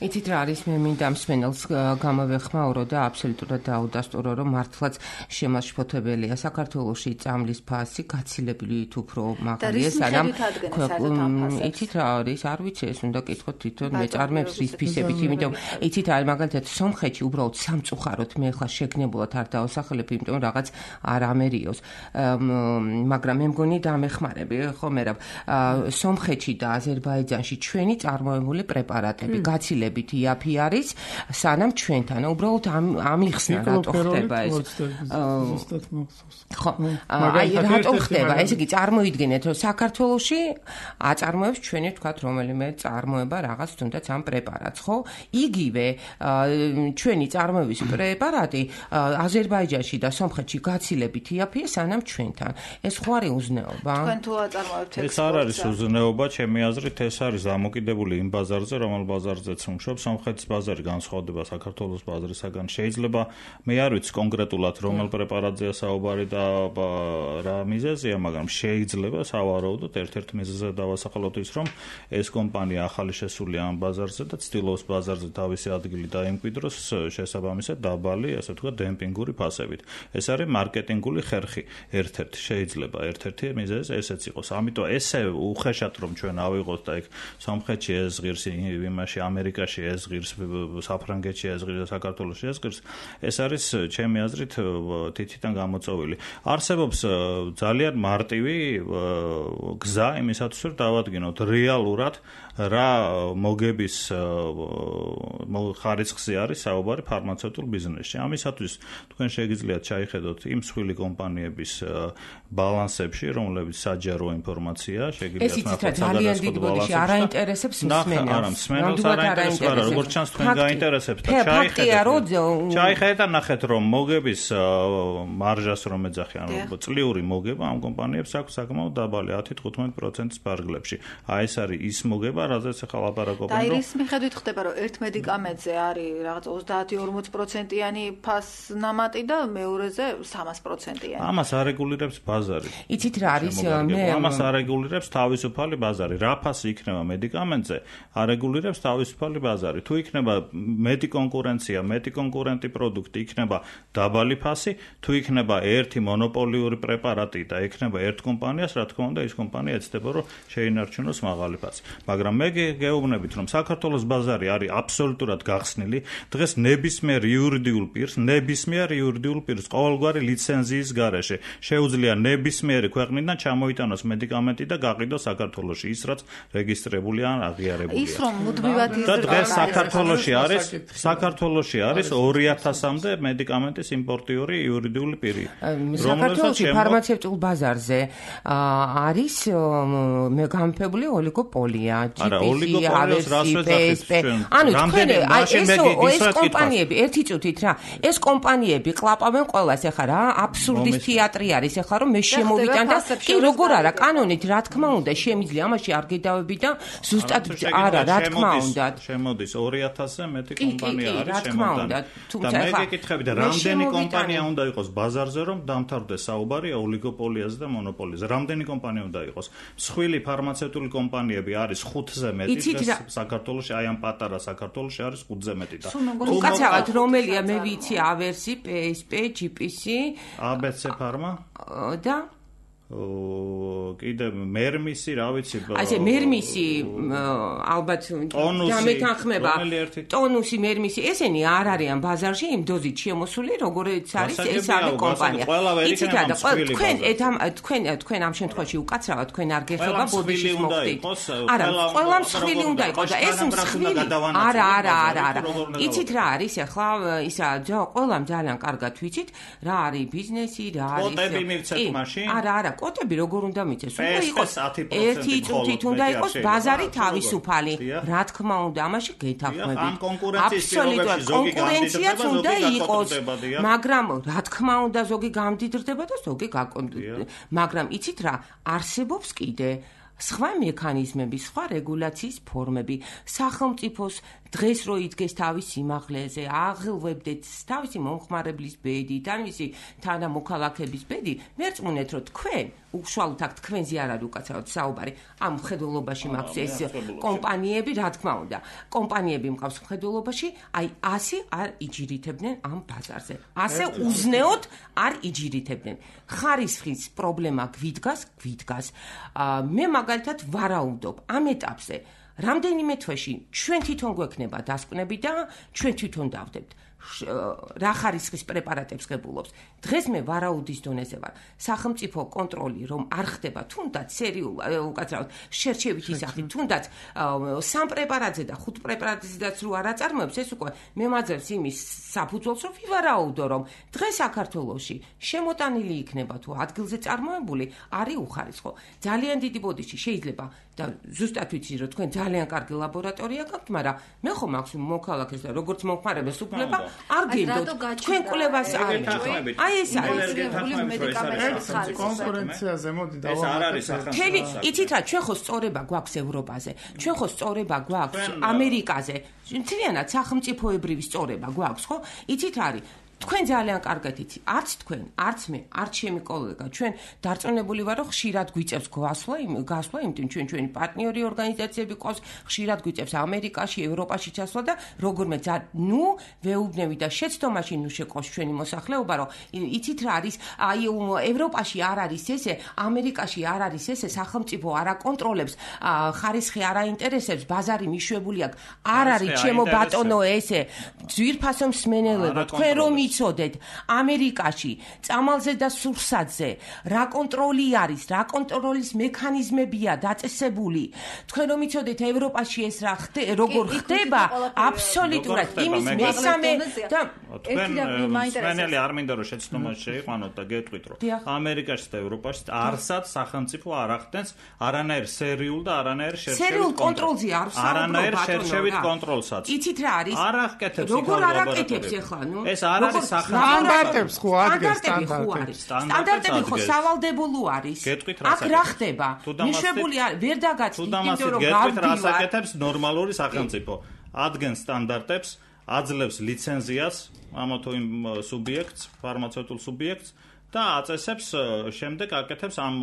იცით რა არის, მე მინდა მსმენელს გამოვეხმაურო და აბსოლუტურად დაუდასტურო, რომ მართლაც შემაშფოთებელია საქართველოში წამლის ფასი გაცილებით უფრო მაღალია, სანამ იცით რა არის, არ ვიცი, ეს უნდა კითხოთ თვითონ მეწარმეებს რის ფისებით, იმიტომ იცით რა, მაგალითად სომხეთში უბრალოდ სამწუხაროდ მე ხა შეგნებულად არ დავასახელებ, იმიტომ რაღაც არ ამერიოს, მაგრამ მე მგონი დამეხმარები, ხო მერაბ, სომხეთში და აზერბაიჯანში ჩვენი წარმოებული პრეპარატები გაცილებით იაფი არის, სანამ ჩვენთან უბრალოდ ამიხსნა რატო ხდება ეს. ხო, აი რატო ხდება? ესე იგი წარმოიდგინეთ, რომ საქართველოში აწარმოებს ჩვენი თქვათ რომელიმე წარმოება რაღაც თუნდაც ამ პრეპარატს, ხო? იგივე ჩვენი წარმოების პრეპარატი აზერბაიჯანში და სომხეთში გაცილებით იაფია, სანამ ჩვენთან. ეს ხო არის უზნეობა? თქვენ თუ აწარმოებთ ეს არ არის უზნეობა, ჩემი აზრით ეს არის დამოკიდებული იმ ბაზარზე, რომელ ბაზარზეც მუშაობს სომხეთის ბაზარი განსხვავდება საქართველოს ბაზრისაგან შეიძლება მე არ ვიცი კონკრეტულად რომელ პრეპარატზეა საუბარი და რა მიზეზია მაგრამ შეიძლება სავარაუდოდ ერთ-ერთ მიზეზად დავასახელოთ ის რომ ეს კომპანია ახალი შესულია ამ ბაზარზე და ცდილობს ბაზარზე თავისი ადგილი დაიმკვიდროს შესაბამისად დაბალი ასე ვთქვათ დემპინგური ფასებით ეს არის მარკეტინგული ხერხი ერთ-ერთი შეიძლება ერთ-ერთი მიზეზი ესეც იყოს ამიტომ ესე უხეშად რომ ჩვენ ავიღოთ და იქ სომხეთში ეს ღირს იმაში ამერიკაში ეს ღირს საფრანგეთში ეს ღირს საქართველოში ეს ღირს ეს არის ჩემი აზრით თითიდან გამოწვეული არსებობს ძალიან მარტივი გზა იმისათვის რომ დავადგინოთ რეალურად რა მოგების ხარისხზე არის საუბარი ფარმაცევტულ ბიზნესში ამისათვის თქვენ შეგიძლიათ ჩაიხედოთ იმ მსხვილი კომპანიების ბალანსებში რომლებიც საჯარო ინფორმაცია შეგიძლიათ ძალიან დიდ ბოდიში არაინტერესებს მსმენელს არა მსმენელს არაინტერესებს არა როგორც ჩანს თქვენ გაინტერესებს და ჩაიხედეთ და ნახეთ რომ მოგების მარჟას რომ ეძახი ანუ წლიური მოგება ამ კომპანიებს აქვს საკმაოდ დაბალი 10-15%-ის ფარგლებში აი ეს არის ის მოგება რაზეც ახლა ლაპარაკობენ და ის მიხედვით ხდება რომ ერთ მედიკამენტზე არის რაღაც 30-40%-იანი ფასნამატი და მეორეზე 300%-იანი ამას არეგულირებს ბაზარი იცით რა არის მე ამას არეგულირებს თავისუფალი ბაზარი რა ფასი იქნება მედიკამენტზე არეგულირებს თავისუფალი ბაზარი თუ იქნება მეტი კონკურენცია მეტი კონკურენტი პროდუქტი იქნება დაბალი ფასი თუ იქნება ერთი მონოპოლიური პრეპარატი და იქნება ერთ კომპანიას რა თქმა უნდა ის კომპანია ეცდება რომ შეინარჩუნოს მაღალი ფასი მაგრამ მე გეუბნებით რომ საქართველოს ბაზარი არის აბსოლუტურად გახსნილი დღეს ნებისმიერ იურიდიულ პირს ყოველგვარი ლიცენზიის გარეშე შეუძლია ნებისმიერი ქვეყნიდან ჩამოიტანოს მედიკამენტი და გაყიდოს საქართველოში ის რაც რეგისტრირებული ან აღიარებულია ის რომ მუდმივად და დღეს საქართველოში არის 2000-მდე მედიკამენტის იმპორტიორი იურიდიული პირი საქართველოში ფარმაცევტულ ბაზარზე არის გამოფებული ოლიგოპოლია ანუ თქვენ ეს კომპანიები ერთი წუთით რა ეს კომპანიები ყლაპავენ ყველას ეხლა რა აბსურდის თეატრი არის ეხლა რომ მე შემოვიტან და კი როგორ არა კანონით რა თქმა უნდა შემიძლია ამაში არ გედავები და ზუსტად არა რა თქმა უნდა შემოდის 2000-ზე მეტი კომპანია არის შემოდანი და მე გეკითხები და რამდენი კომპანია უნდა იყოს ბაზარზე რომ დამთავრდეს საუბარი ოლიგოპოლიაზე და მონოპოლიაზე რამდენი კომპანია უნდა იყოს მსხვილი ფარმაცევტული კომპანიები არის 5-ზე მეტი საქართველოში აი ამ პატარა საქართველოში არის 5-ზე მეტი და უკაცრავად რომელია მე ვიცი ავერსი PSP GPC ABC Pharma და კიდე მერმისი რა ვიცი ასე მერმისი ალბათ დამეთანხმება ტონუსი მერმისი ესენი არ არიან ბაზარში იმ დოზით შემოსული როგორიც არის ეს არის კომპანია იცით რა და თქვენ ამ შემთხვევაში უკაცრავად თქვენ არ გეხება ბოდიშის მოხდით არა ყველა მსხვილი უნდა იყოს და ეს მსხვილი არა იცით რა არის ახლა ისა ყველამ ძალიან კარგად ვიცით რა არის ბიზნესი რა არის კოტები მივცეთ მაშინ არა კოტები როგორ უნდა მიცეს? უნდა იყოს ერთი წუთით უნდა იყოს ბაზარი თავისუფალი. რა თქმა უნდა, ამაში გეთანხმებით. აბსოლუტურად კონკურენციაც უნდა იყოს. მაგრამ რა თქმა უნდა, ზოგი გამდიდრდება და ზოგი მაგრამ იცით რა, არსებობს კიდე სხვა მექანიზმები, სხვა რეგულაციის ფორმები, სახელმწიფოს დღეს რო იდგეს თავის სიმაღლეზე, აღელვებდეთ თავისი მომხმარებლის ბედით, ან მისი თანამოქალაქების ბედი, მერწმუნეთ რომ თქვენ უშუალოდ აქ თქვენზე არ არის უკაცრავად საუბარი, ამ მხედველობაში მაქვს ეს კომპანიები, რა თქმა უნდა, კომპანიები მყავს მხედველობაში, აი ასე არ იჯირითებდნენ ამ ბაზარზე. ასე უზნეოდ არ იჯირითებდნენ. ხარისხის პრობლემა გვიდგას. მე მაგალითად ვარაუდობ ამ ეტაპზე რამდენიმე თვეში ჩვენ თვითონ გვექნება დასკვნები და ჩვენ თვითონ დავდებთ რა ხარისხის პრეპარატებს ღებულობს. დღეს მე ვარაუდის დონეზე ვარ. სახელმწიფო კონტროლი რომ არ ხდება თუნდაც სერიულად უკაცრავად შერჩევითი სახით თუნდაც 3 პრეპარატზე და 5 პრეპარატზედაც რო არ აწარმოებს ეს უკვე მემაძებს იმის საფუძველს რომ ვივარაუდო რომ დღეს საქართველოში შემოტანილი იქნება თუ ადგილზე წარმოებული არის უხარისხო. ძალიან დიდი ბოდიში შეიძლება და ზუსტად ვიცი რომ თქვენ ძალიან კარგი ლაბორატორია გაქვთ, მაგრამ მე ხომ მაქვს მოქალაქეს და როგორც მომხმარებელს უფლება არ გინდოთ თქვენ კვლევას არ აი ეს არის კონკურენციაზე მოდი ეს არ არის ხელი იცით რა ჩვენ ხო სწორება გვაქვს ევროპაზე ჩვენ ხო სწორება გვაქვს ამერიკაზე მთლიანად სახელმწიფოებრივი სწორება გვაქვს ხო იცით რა არის თქვენ ძალიან კარგად იცით არც თქვენ არც მე არც ჩემი კოლეგა ჩვენ დარწმუნებული ვარ რომ ხშირად გვიწევს გასვლა იმიტომ ჩვენი პარტნიორი ორგანიზაციები ყავს ხშირად გვიწევს ამერიკაში ევროპაში ჩასვლა და როგორმე ვეუბნები და შეცდომაში შეყავს ჩვენი მოსახლეობა რომ იცით რა არის აი ევროპაში არ არის ესე ამერიკაში არ არის ესე სახელმწიფო არ აკონტროლებს ხარისხი არ აინტერესებს ბაზარი მიშვებული აქვს არ არის ჩემო ბატონო ესე ძვირფასო მსმენელობა თქვენ რომ იცოდეთ ამერიკაში წამალზე და სურსათზე რა კონტროლი არის რა კონტროლის მექანიზმებია დაწესებული თქვენ რომ იცოდეთ ევროპაში ეს რა როგორ ხდება აბსოლუტურად იმის მესამე და თქვენ არ მინდა რომ შეცდომაში შეიყვანოთ და გეტყვით რომ ამერიკაში და ევროპაში არსად სახელმწიფო არ ახდენს არანაირ სერიულ და არანაირ სერიულ კონტროლზე არანაირ შერშევით კონტროლსაც იცით რა არის არ ახკეთებს როგორ არ აკეთებს ახლა ნუ ეს არ არის სტანდარტებს ხო ადგენს სტანდარტები ხო სავალდებულო არის აქ რა ხდება მიშვებული არ ვერ დაგაცით იმიტომ რომ გეტყვით რა აკეთებს ნორმალური სახელმწიფო ადგენს სტანდარტებს აძლევს ლიცენზიას ამა თუ იმ სუბიექტს ფარმაცევტულ სუბიექტს და აწესებს შემდეგ აკეთებს ამ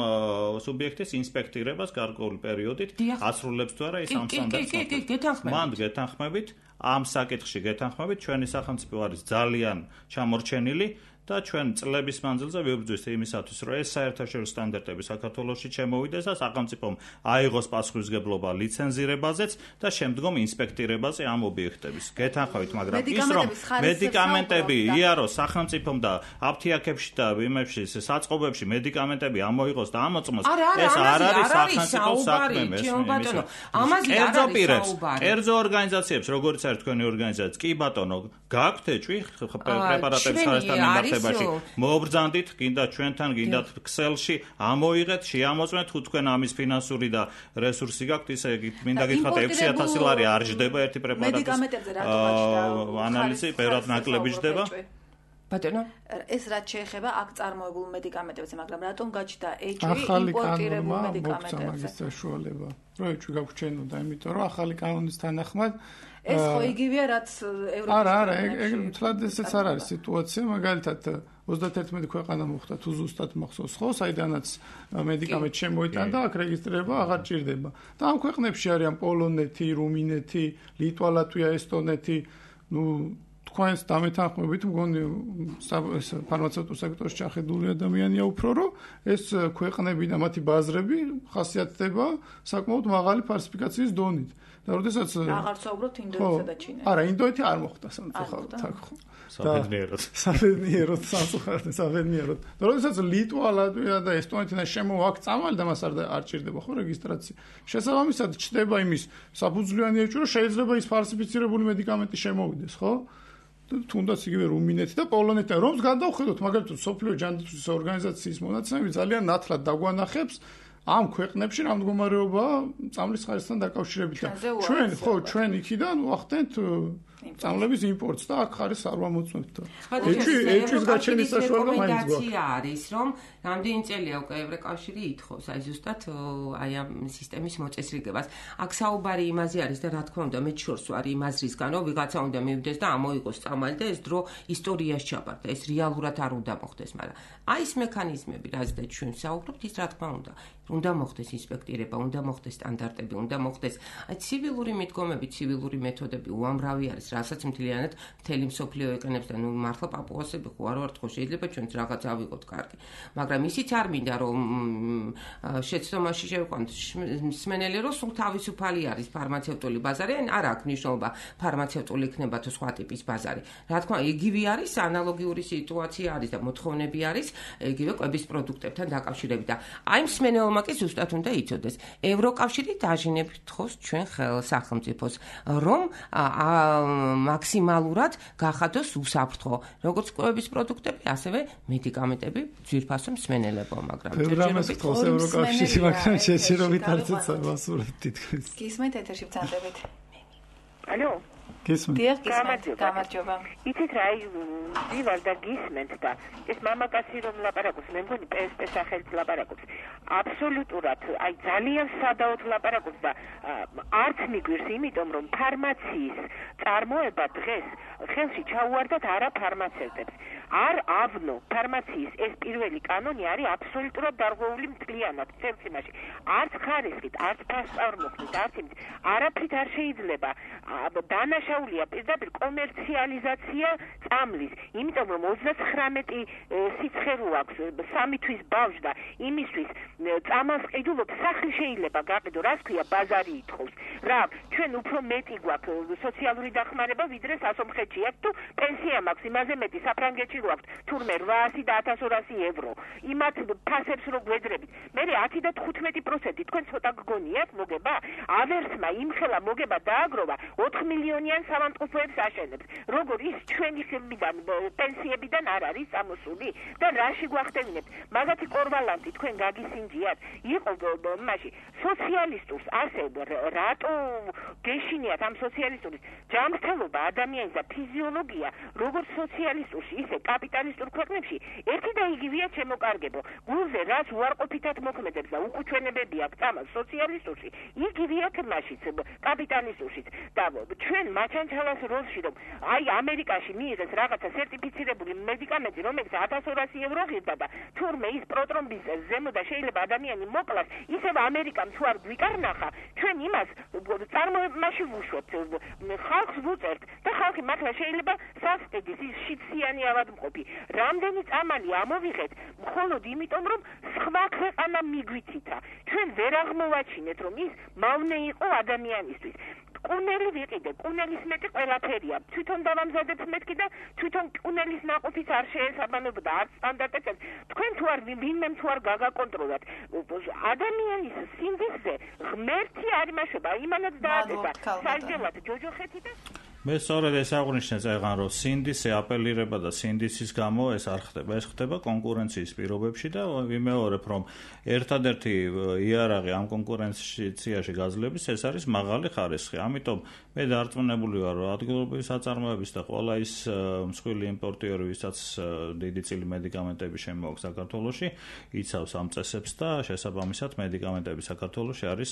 სუბიექტის ინსპექტირებას გარკვეული პერიოდით ასრულებს თუ არა ის ამ სტანდარტს მანდ გეთანხმებით ამ საკითხში გეთანხმებით ჩვენი სახელმწიფო არის ძალიან ჩამორჩენილი და ჩვენ წლების მანძილზე ვიბრძვით იმისათვის რომ ეს საერთაშორისო სტანდარტები საქართველოში შემოვიდეს და სახელმწიფომ აიღოს პასუხისმგებლობა ლიცენზირებაზეც და შემდგომ ინსპექტირებაზე ამ ობიექტების გეთანხმებით მაგრამ ის რომ მედიკამენტები იაროს სახელმწიფომ და აფთიაქებში და იმებში საწყობებში მედიკამენტები ამოიღოს და ამოწმოს ეს არ არის სახელმწიფო საქმე ბატონო ამაზე არ არის კერძო ორგანიზაციებს როგორც არის თქვენი ორგანიზაცია კი ბატონო გაქვთ ეჭვი პრეპარატების ხარისხთან მიმართებაში მობრძანდით გინდა ჩვენთან გინდათ ქსელში ამოიღეთ შეამოწმეთ თუ თქვენ ამის ფინანსური და რესურსი გაქვთ ისე მინდა გითხრათ 6000 ლარი არ ჯდება ერთი პრეპარატის ანალიზი ბევრად ნაკლები ჯდება ბატონო ეს რაც შეეხება აქ წარმოებულ მედიკამენტებზე მაგრამ რატომ გაჩნდა ეჭვი იმპორტირებულ მედიკამენტებზე მაგის საშუალება რომ ეჭვი გაგვჩენოდა იმიტომ რომ ახალი კანონის თანახმად ეს ხო იგივეა რაც ევროპის არა ეგ მთლად ესეც არ არის სიტუაცია მაგალითად 31 ქვეყანა მოხდა თუ ზუსტად მახსოვს ხო საიდანაც მედიკამენტი შემოიტანა და აქ რეგისტრირება აღარ ჭირდება და ამ ქვეყნებში არიან პოლონეთი, რუმინეთი, ლიტვა, ლატვია, ესტონეთი ნუ თქვენს დამეთანხმებით მგონი ეს ფარმაცევტულ სექტორში ჩახედული ადამიანია უფრო რომ ეს ქვეყნები და მათი ბაზრები ხასიათდება საკმაოდ მაღალი ფალსიფიკაციის დონით და როდესაც აღარ საუბრობთ ინდოეთსა და ჩინეთსა არა ინდოეთი არ მოხდა სამწუხაროდ აქ ხო საბედნიეროდ და როდესაც ლიტვა, ლატვია და ესტონეთი შემოაქვს წამალი და მას არ ჭირდება ხო რეგისტრაცია შესაბამისად ჩდება იმის საფუძვლიანი ეჭვი რომ შეიძლება ის ფალსიფიცირებული მედიკამენტი შემოვიდეს ხო თუნდაც იგივე რუმინეთი და პოლონეთი რომს გადავხედოთ მაგალითად სოფლიო ჯანდაცვის ორგანიზაციის მონაცემები ძალიან ნათლად დაგვანახებს ამ ქვეყნებში რა მდგომარეობაა წამლის ხარისხთან დაკავშირებით ჩვენ ხო ჩვენ იქიდან ვახდენთ წამლების იმპორტს და აქ ხარისხს არ ვამოწმებთ ეჭვის გაჩენის საშუალება მაინც გვაქვს არის რომ რამდენი წელია უკვე ევროკავშირი ითხოვს აი ზუსტად აი ამ სისტემის მოწესრიგებას აქ საუბარი იმაზე არის და რა თქმა უნდა მე შორს ვარ იმ აზრისგან რომ ვიღაცა უნდა მივიდეს და ამოიღოს წამალი და ეს დრო ისტორიაში ჩაბარდა ეს რეალურად არ უნდა მოხდეს მაგრამ აი ეს მექანიზმები რაზეც ჩვენ საუბრობთ ის რა თქმა უნდა მოხდეს ინსპექტირება უნდა მოხდეს სტანდარტები უნდა მოხდეს აი ცივილური მიდგომები ცივილური მეთოდები უამრავი არის რასაც მთლიანად მთელი მსოფლიო ეკონებს და ნუ მართლა პაპუასები ხო არ ვართ ხო შეიძლება ჩვენც რაღაც ავიღოთ კარგი მაგრამ ისიც არ მინდა რომ შეცდომაში შევყვანთ მსმენელი რომ სულ თავისუფალი არის ფარმაცევტული ბაზარი ან არ აქვს მნიშვნელობა ფარმაცევტული იქნება თუ სხვა ტიპის ბაზარი რა თქმა უნდა იგივე არის ანალოგიური სიტუაცია არის და მოთხოვნები არის იგივე კვების პროდუქტებთან დაკავშირებით და აი მსმენელმა კი ზუსტად უნდა იცოდეს ევროკავშირი დაჟინებით ხოს ჩვენ სახელმწიფოს რომ მაქსიმალურად გახადოს უსაფრთხო როგორც კვების პროდუქტები ასევე მედიკამენტები ძვირფასო მსმენელებო მაგრამ ჯერჯერობით ევროკავშირი მაგრამ შეჩერობით არცეც არ ვასურვებთ თითქმის გისმენთ ეთერში ვცანდებით ალო დიახ, გამარჯობა. იცით რა, ვივარ და გისმენთ და ეს მამაკაცი რომ ლაპარაკობს, მე მგონი PSP სახელით ლაპარაკობს. აბსოლუტურად, აი ძალიან სადაოდ ლაპარაკობს და არც მიგვირს, იმიტომ რომ ფარმაციის წარმოება დღეს ხელში ჩაუვარდათ არა ფარმაცევტებს. არ ავნო ფარმაციის ეს პირველი კანონი არის აბსოლუტურად დარღვეული მთლიანად წელს იმაში. არც ხარისხით, არც ფასწავლმოხდით, არც იმით, არაფრით არ შეიძლება დანაშაულია პირდაპირ კომერციალიზაცია წამლის, იმიტომ რომ 39 სიცხერო აქვს 3 თვის ბავშვს და იმისთვის წამალს ყიდულობ სახლი შეიძლება გაყიდო, რას ქვია ბაზარი ითხოვს. რა, ჩვენ უფრო მეტი გვაქვს სოციალური დახმარება ვიდრე სასომხეთში აქვს თუ პენსია მაქვს იმაზე მეტი საფრანგეთში რო აქვს თურმე 800 და 1200 ევრო. იმათ ფასებს რო გვედრებით. მე 10 და 15% თქვენ ცოტა გგონიათ მოგება? ავერსმა იმხელა მოგება დააგროვა 4 მილიონიან სამანტყოფოებს აშენებს. როგორ ის ჩვენი ხელმიდან პენსიებიდან არ არის წამოსული და რაში გვახდენებთ? მაგათი კორვალანტი თქვენ გაგისინჯიათ. იყო მაშინ სოციალისტურს ასე რატო გეშინიათ ამ სოციალისტურის ჯანმრთელობა ადამიანის და ფიზიოლოგია როგორც სოციალისტურში ისე კაპიტალისტურ ქვეყნებში ერთი და იგივეა შემოკარგებო. გულზე რაც უარყოფითად მოქმედებს და უკუჩვენებები აქვს წამალ სოციალისტურში იგივეა თმაშიც კაპიტალისტურში და ჩვენ მაჩანჩალას როლში რომ აი ამერიკაში მიიღეს რაღაცა სერტიფიცირებული მედიკამენტი რომელიც 1200 ევრო ღირდა და თურმე ის პროტრომბის ზემო და შეიძლება ადამიანი მოკლას ისევ ამერიკამ თუ არ გვიკარნახა ჩვენ იმას წარმოებაში ვუშვებთ ხალხს ვუწერთ და ხალხი მართლა შეიძლება სასყიდის ის შიციანი ავადმყოფი რამდენი წამალი ამოვიღეთ მხოლოდ იმიტომ რომ სხვა ქვეყანა მიგვიცით ჩვენ ვერ აღმოვაჩინეთ რომ ის მავნე იყო ადამიანისთვის კუნელი ვიყიდე, კუნელის მეტი ყველაფერია. თვითონ დავამზადებ მეთქი და თვითონ კუნელის ნაყოფის არ შეესაბამებოდა არც სტანდარტებს. თქვენ თუ არ ვინმე თუ არ გაგაკონტროლოთ. ადამიანის სინდისზე ღმერთი არ იმაშობა, იმანაც დაადება. საჯელად ჯოჯოხეთი და მე სწორედ ეს აღვნიშნე წეგან რომ სინდისი აპელირება და სინდისის გამო ეს არ ხდება, ეს ხდება კონკურენციის პირობებში და ვიმეორებ რომ ერთადერთი იარაღი ამ კონკურენციაში გაძლების ეს არის მაღალი ხარისხი. ამიტომ მე დარწმუნებული ვარ რომ ადგილობრივი საწარმოების და ყველა ის მსხვილი იმპორტიორი ვისაც დიდი წილი მედიკამენტები შემოაქვს საქართველოში იცავს ამ წესებს და შესაბამისად მედიკამენტები საქართველოში არის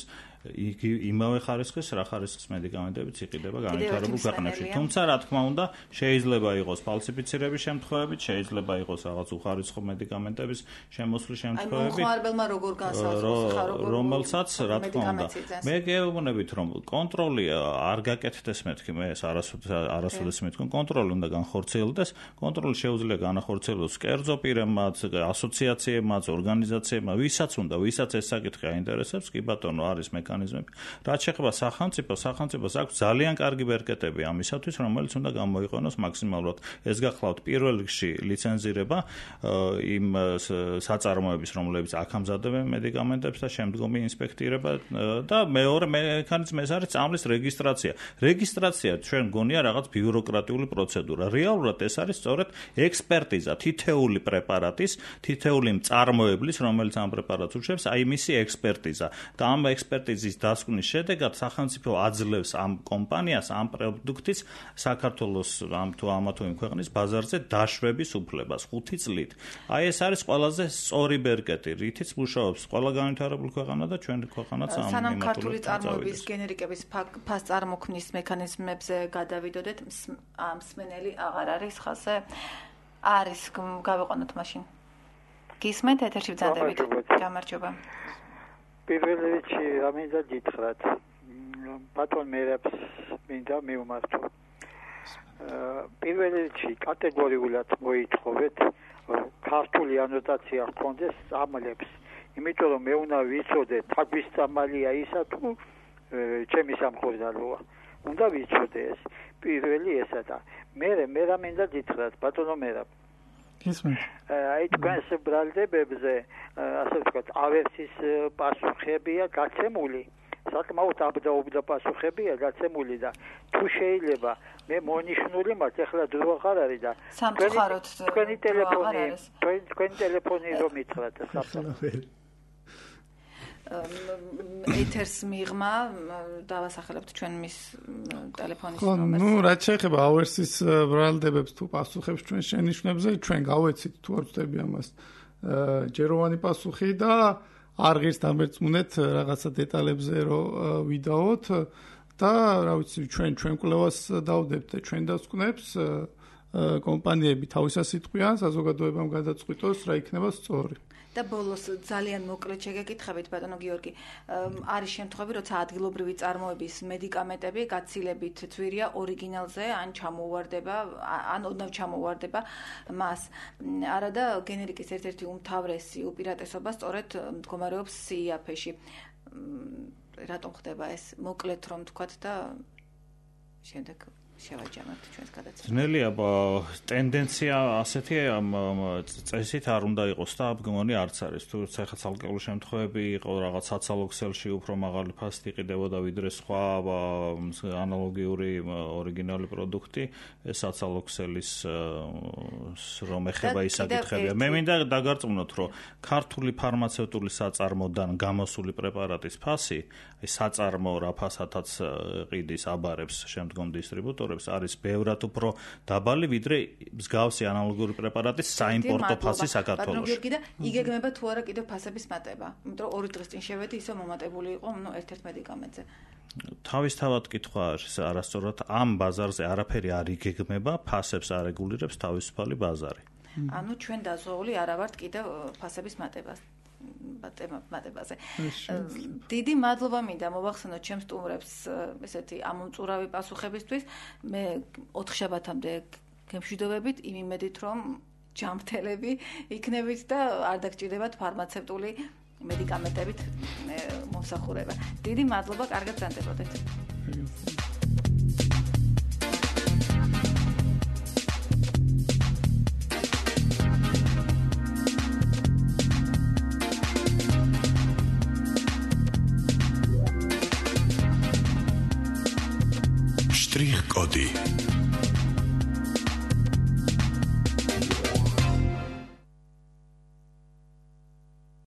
იმავე ხარისხის რა ხარისხის მედიკამენტებიც იყიდება განვითარებულ ქვეყნებში. თუმცა რა თქმა უნდა შეიძლება იყოს ფალსიფიცირების შემთხვევებით, შეიძლება იყოს რაღაც უხარისხო მედიკამენტების შემოსვლის შემთხვევები. მოხარებელმა როგორ განსაზღვროს რომელსაც რა თქმა უნდა მე გეუბნებით რომ კონტროლი არ გაკეთდეს მეთქი მე ეს არასოდეს მეთქი კონტროლი უნდა განხორციელდეს კონტროლი შეუძლია განახორციელოს კერძო პირებმაც ასოციაციებმაც ორგანიზაციებმაც ვისაც ეს საკითხი აინტერესებს კი ბატონო არის მექანიზმები რაც შეეხება სახელმწიფოს აქვს ძალიან კარგი ბერკეტები ამისათვის რომელიც უნდა გამოიყენოს მაქსიმალურად ეს გახლავთ პირველ რიგში ლიცენზირება იმ საწარმოების რომლებიც აქ ამზადებენ მედიკამენტებს და შემდგომი ინსპექტირება და მეორე მექანიზმი ეს არის წამლის რეგისტრაცია ჩვენ გონია რაღაც ბიუროკრატიული პროცედურა რეალურად ეს არის სწორედ ექსპერტიზა თითეული პრეპარატის თითეული მწარმოებლის რომელიც ამ პრეპარატს უშვებს აი მისი ექსპერტიზა და ამ ექსპერტიზის დასკვნის შედეგად სახელმწიფო აძლევს ამ კომპანიას ამ პროდუქტის საქართველოს ამ თუ ამა თუ იმ ქვეყნის ბაზარზე დაშვების უფლებას 5 წლით აი ეს არის ყველაზე სწორი ბერკეტი რითიც მუშაობს ყველა განვითარებული ქვეყანა და ჩვენი ქვეყანაც ამ სანამ ქართული წარმოების გენერიკების ფასწარმოქმნის მექანიზმებზე გადავიდოდეთ მსმენელი აღარ არის ხაზე არის გავიყვანოთ მაშინ გისმენთ ეთერში ვძანდებით გამარჯობა პირველ რიგში ამინდა გითხრათ ბატონ მერებს მინდა მივმართო პირველ რიგში კატეგორიულად მოითხოვეთ ქართული ანოტაცია ჰქონდეს წამლებს იმიტომ რომ მე უნდა ვიცოდე თაგვის წამალია ისა თუ ჩემი სამხურდალოა უნდა ვიცოდე ეს პირველი ესა და მე მინდა გითხრათ ბატონო მერაბ აი თქვენს ბრალდებებზე ასე ვთქვათ ავერსის პასუხებია გაცემული საკმაოდ აბდაუბდა პასუხებია გაცემული და თუ შეიძლება მე მონიშნული მაქვს ახლა დრო აღარ არის და თქვენი ტელეფონი რომ მითხრათ საფრთხე ეთერს მიღმა დავასახელებთ ჩვენ მის ტელეფონის ნომერს. ნუ რაც შეეხება ავერსის ბრალდებებს თუ პასუხებს ჩვენ შენიშვნებზე, ჩვენ გავეცით თუ არ ვწდები ამას ჯეროვანი პასუხი და არ ღირს დამერწმუნეთ რაღაცა დეტალებზე რომ ვიდაოთ და რა ვიცი ჩვენ კვლევას დავდებთ და ჩვენ დავსკვნებს კომპანიები თავისას იტყვიან საზოგადოებამ გადაწყვიტოს რა იქნება სწორი. და ბოლოს ძალიან მოკლედ შეგეკითხებით ბატონო გიორგი, არის შემთხვევები, როცა ადგილობრივი წარმოების მედიკამენტები გაცილებით ძვირია ორიგინალზე, ან ჩამოუვარდება, ან ოდნავ ჩამოუვარდება მას. არა და გენერიკის ერთ-ერთი უმთავრესი უპირატესობა სწორედ მდგომარეობს CIAP-ში. რატომ ხდება ეს? მოკლედ რომ თქვათ და შემდეგ შევაჯამოთ ჩვენს გადაცემას. ძნელია ტენდენცია ასეთი წესით არ უნდა იყოს და მგონი არც არის. თუ ეხლა ცალკეული შემთხვევები იყო რაღაც საცალო ქსელში უფრო მაღალი ფასი იყიდებოდა ვიდრე სხვა ანალოგიური ორიგინალი პროდუქტი, ეს საცალო ქსელის რომ ეხება ის საკითხებია. მე მინდა დაგარწმუნოთ, რომ ქართული ფარმაცევტული საწარმოდან გამოსული პრეპარატის ფასი, საწარმო რა ფასათაც ყიდის აბარებს შემდგომ დისტრიბუტორებს არის ბევრად უფრო დაბალი ვიდრე მსგავსი ანალოგური პრეპარატის საიმპორტო ფასი საქართველოში. ბატონო გიორგი და იგეგმება თუ არა კიდევ ფასების მატება? იმიტომ რომ 2 დღის წინ შევედი ისე მომატებული იყო ერთ-ერთ მედიკამენტზე. თავისთავად კითხვა არის არასწორად ამ ბაზარზე არაფერი არ იგეგმება, ფასებს არ რეგულირებს თავისუფალი ბაზარი. ანუ ჩვენ დაზღვეული არა ვართ კიდევ ფასების მატებას. მატებაზე. დიდი მადლობა მინდა მოვახსენოთ ჩემს სტუმრებს ესეთი ამომწურავი პასუხებისთვის. მე 4 შაბათამდე გემშვიდობებით იმ იმედით რომ ჯანმრთელები იქნებით და არ დაგჭირდებათ ფარმაცევტული მედიკამენტებით მომსახურება. დიდი მადლობა, კარგად გრძანდებოდეთ. Strich Cody.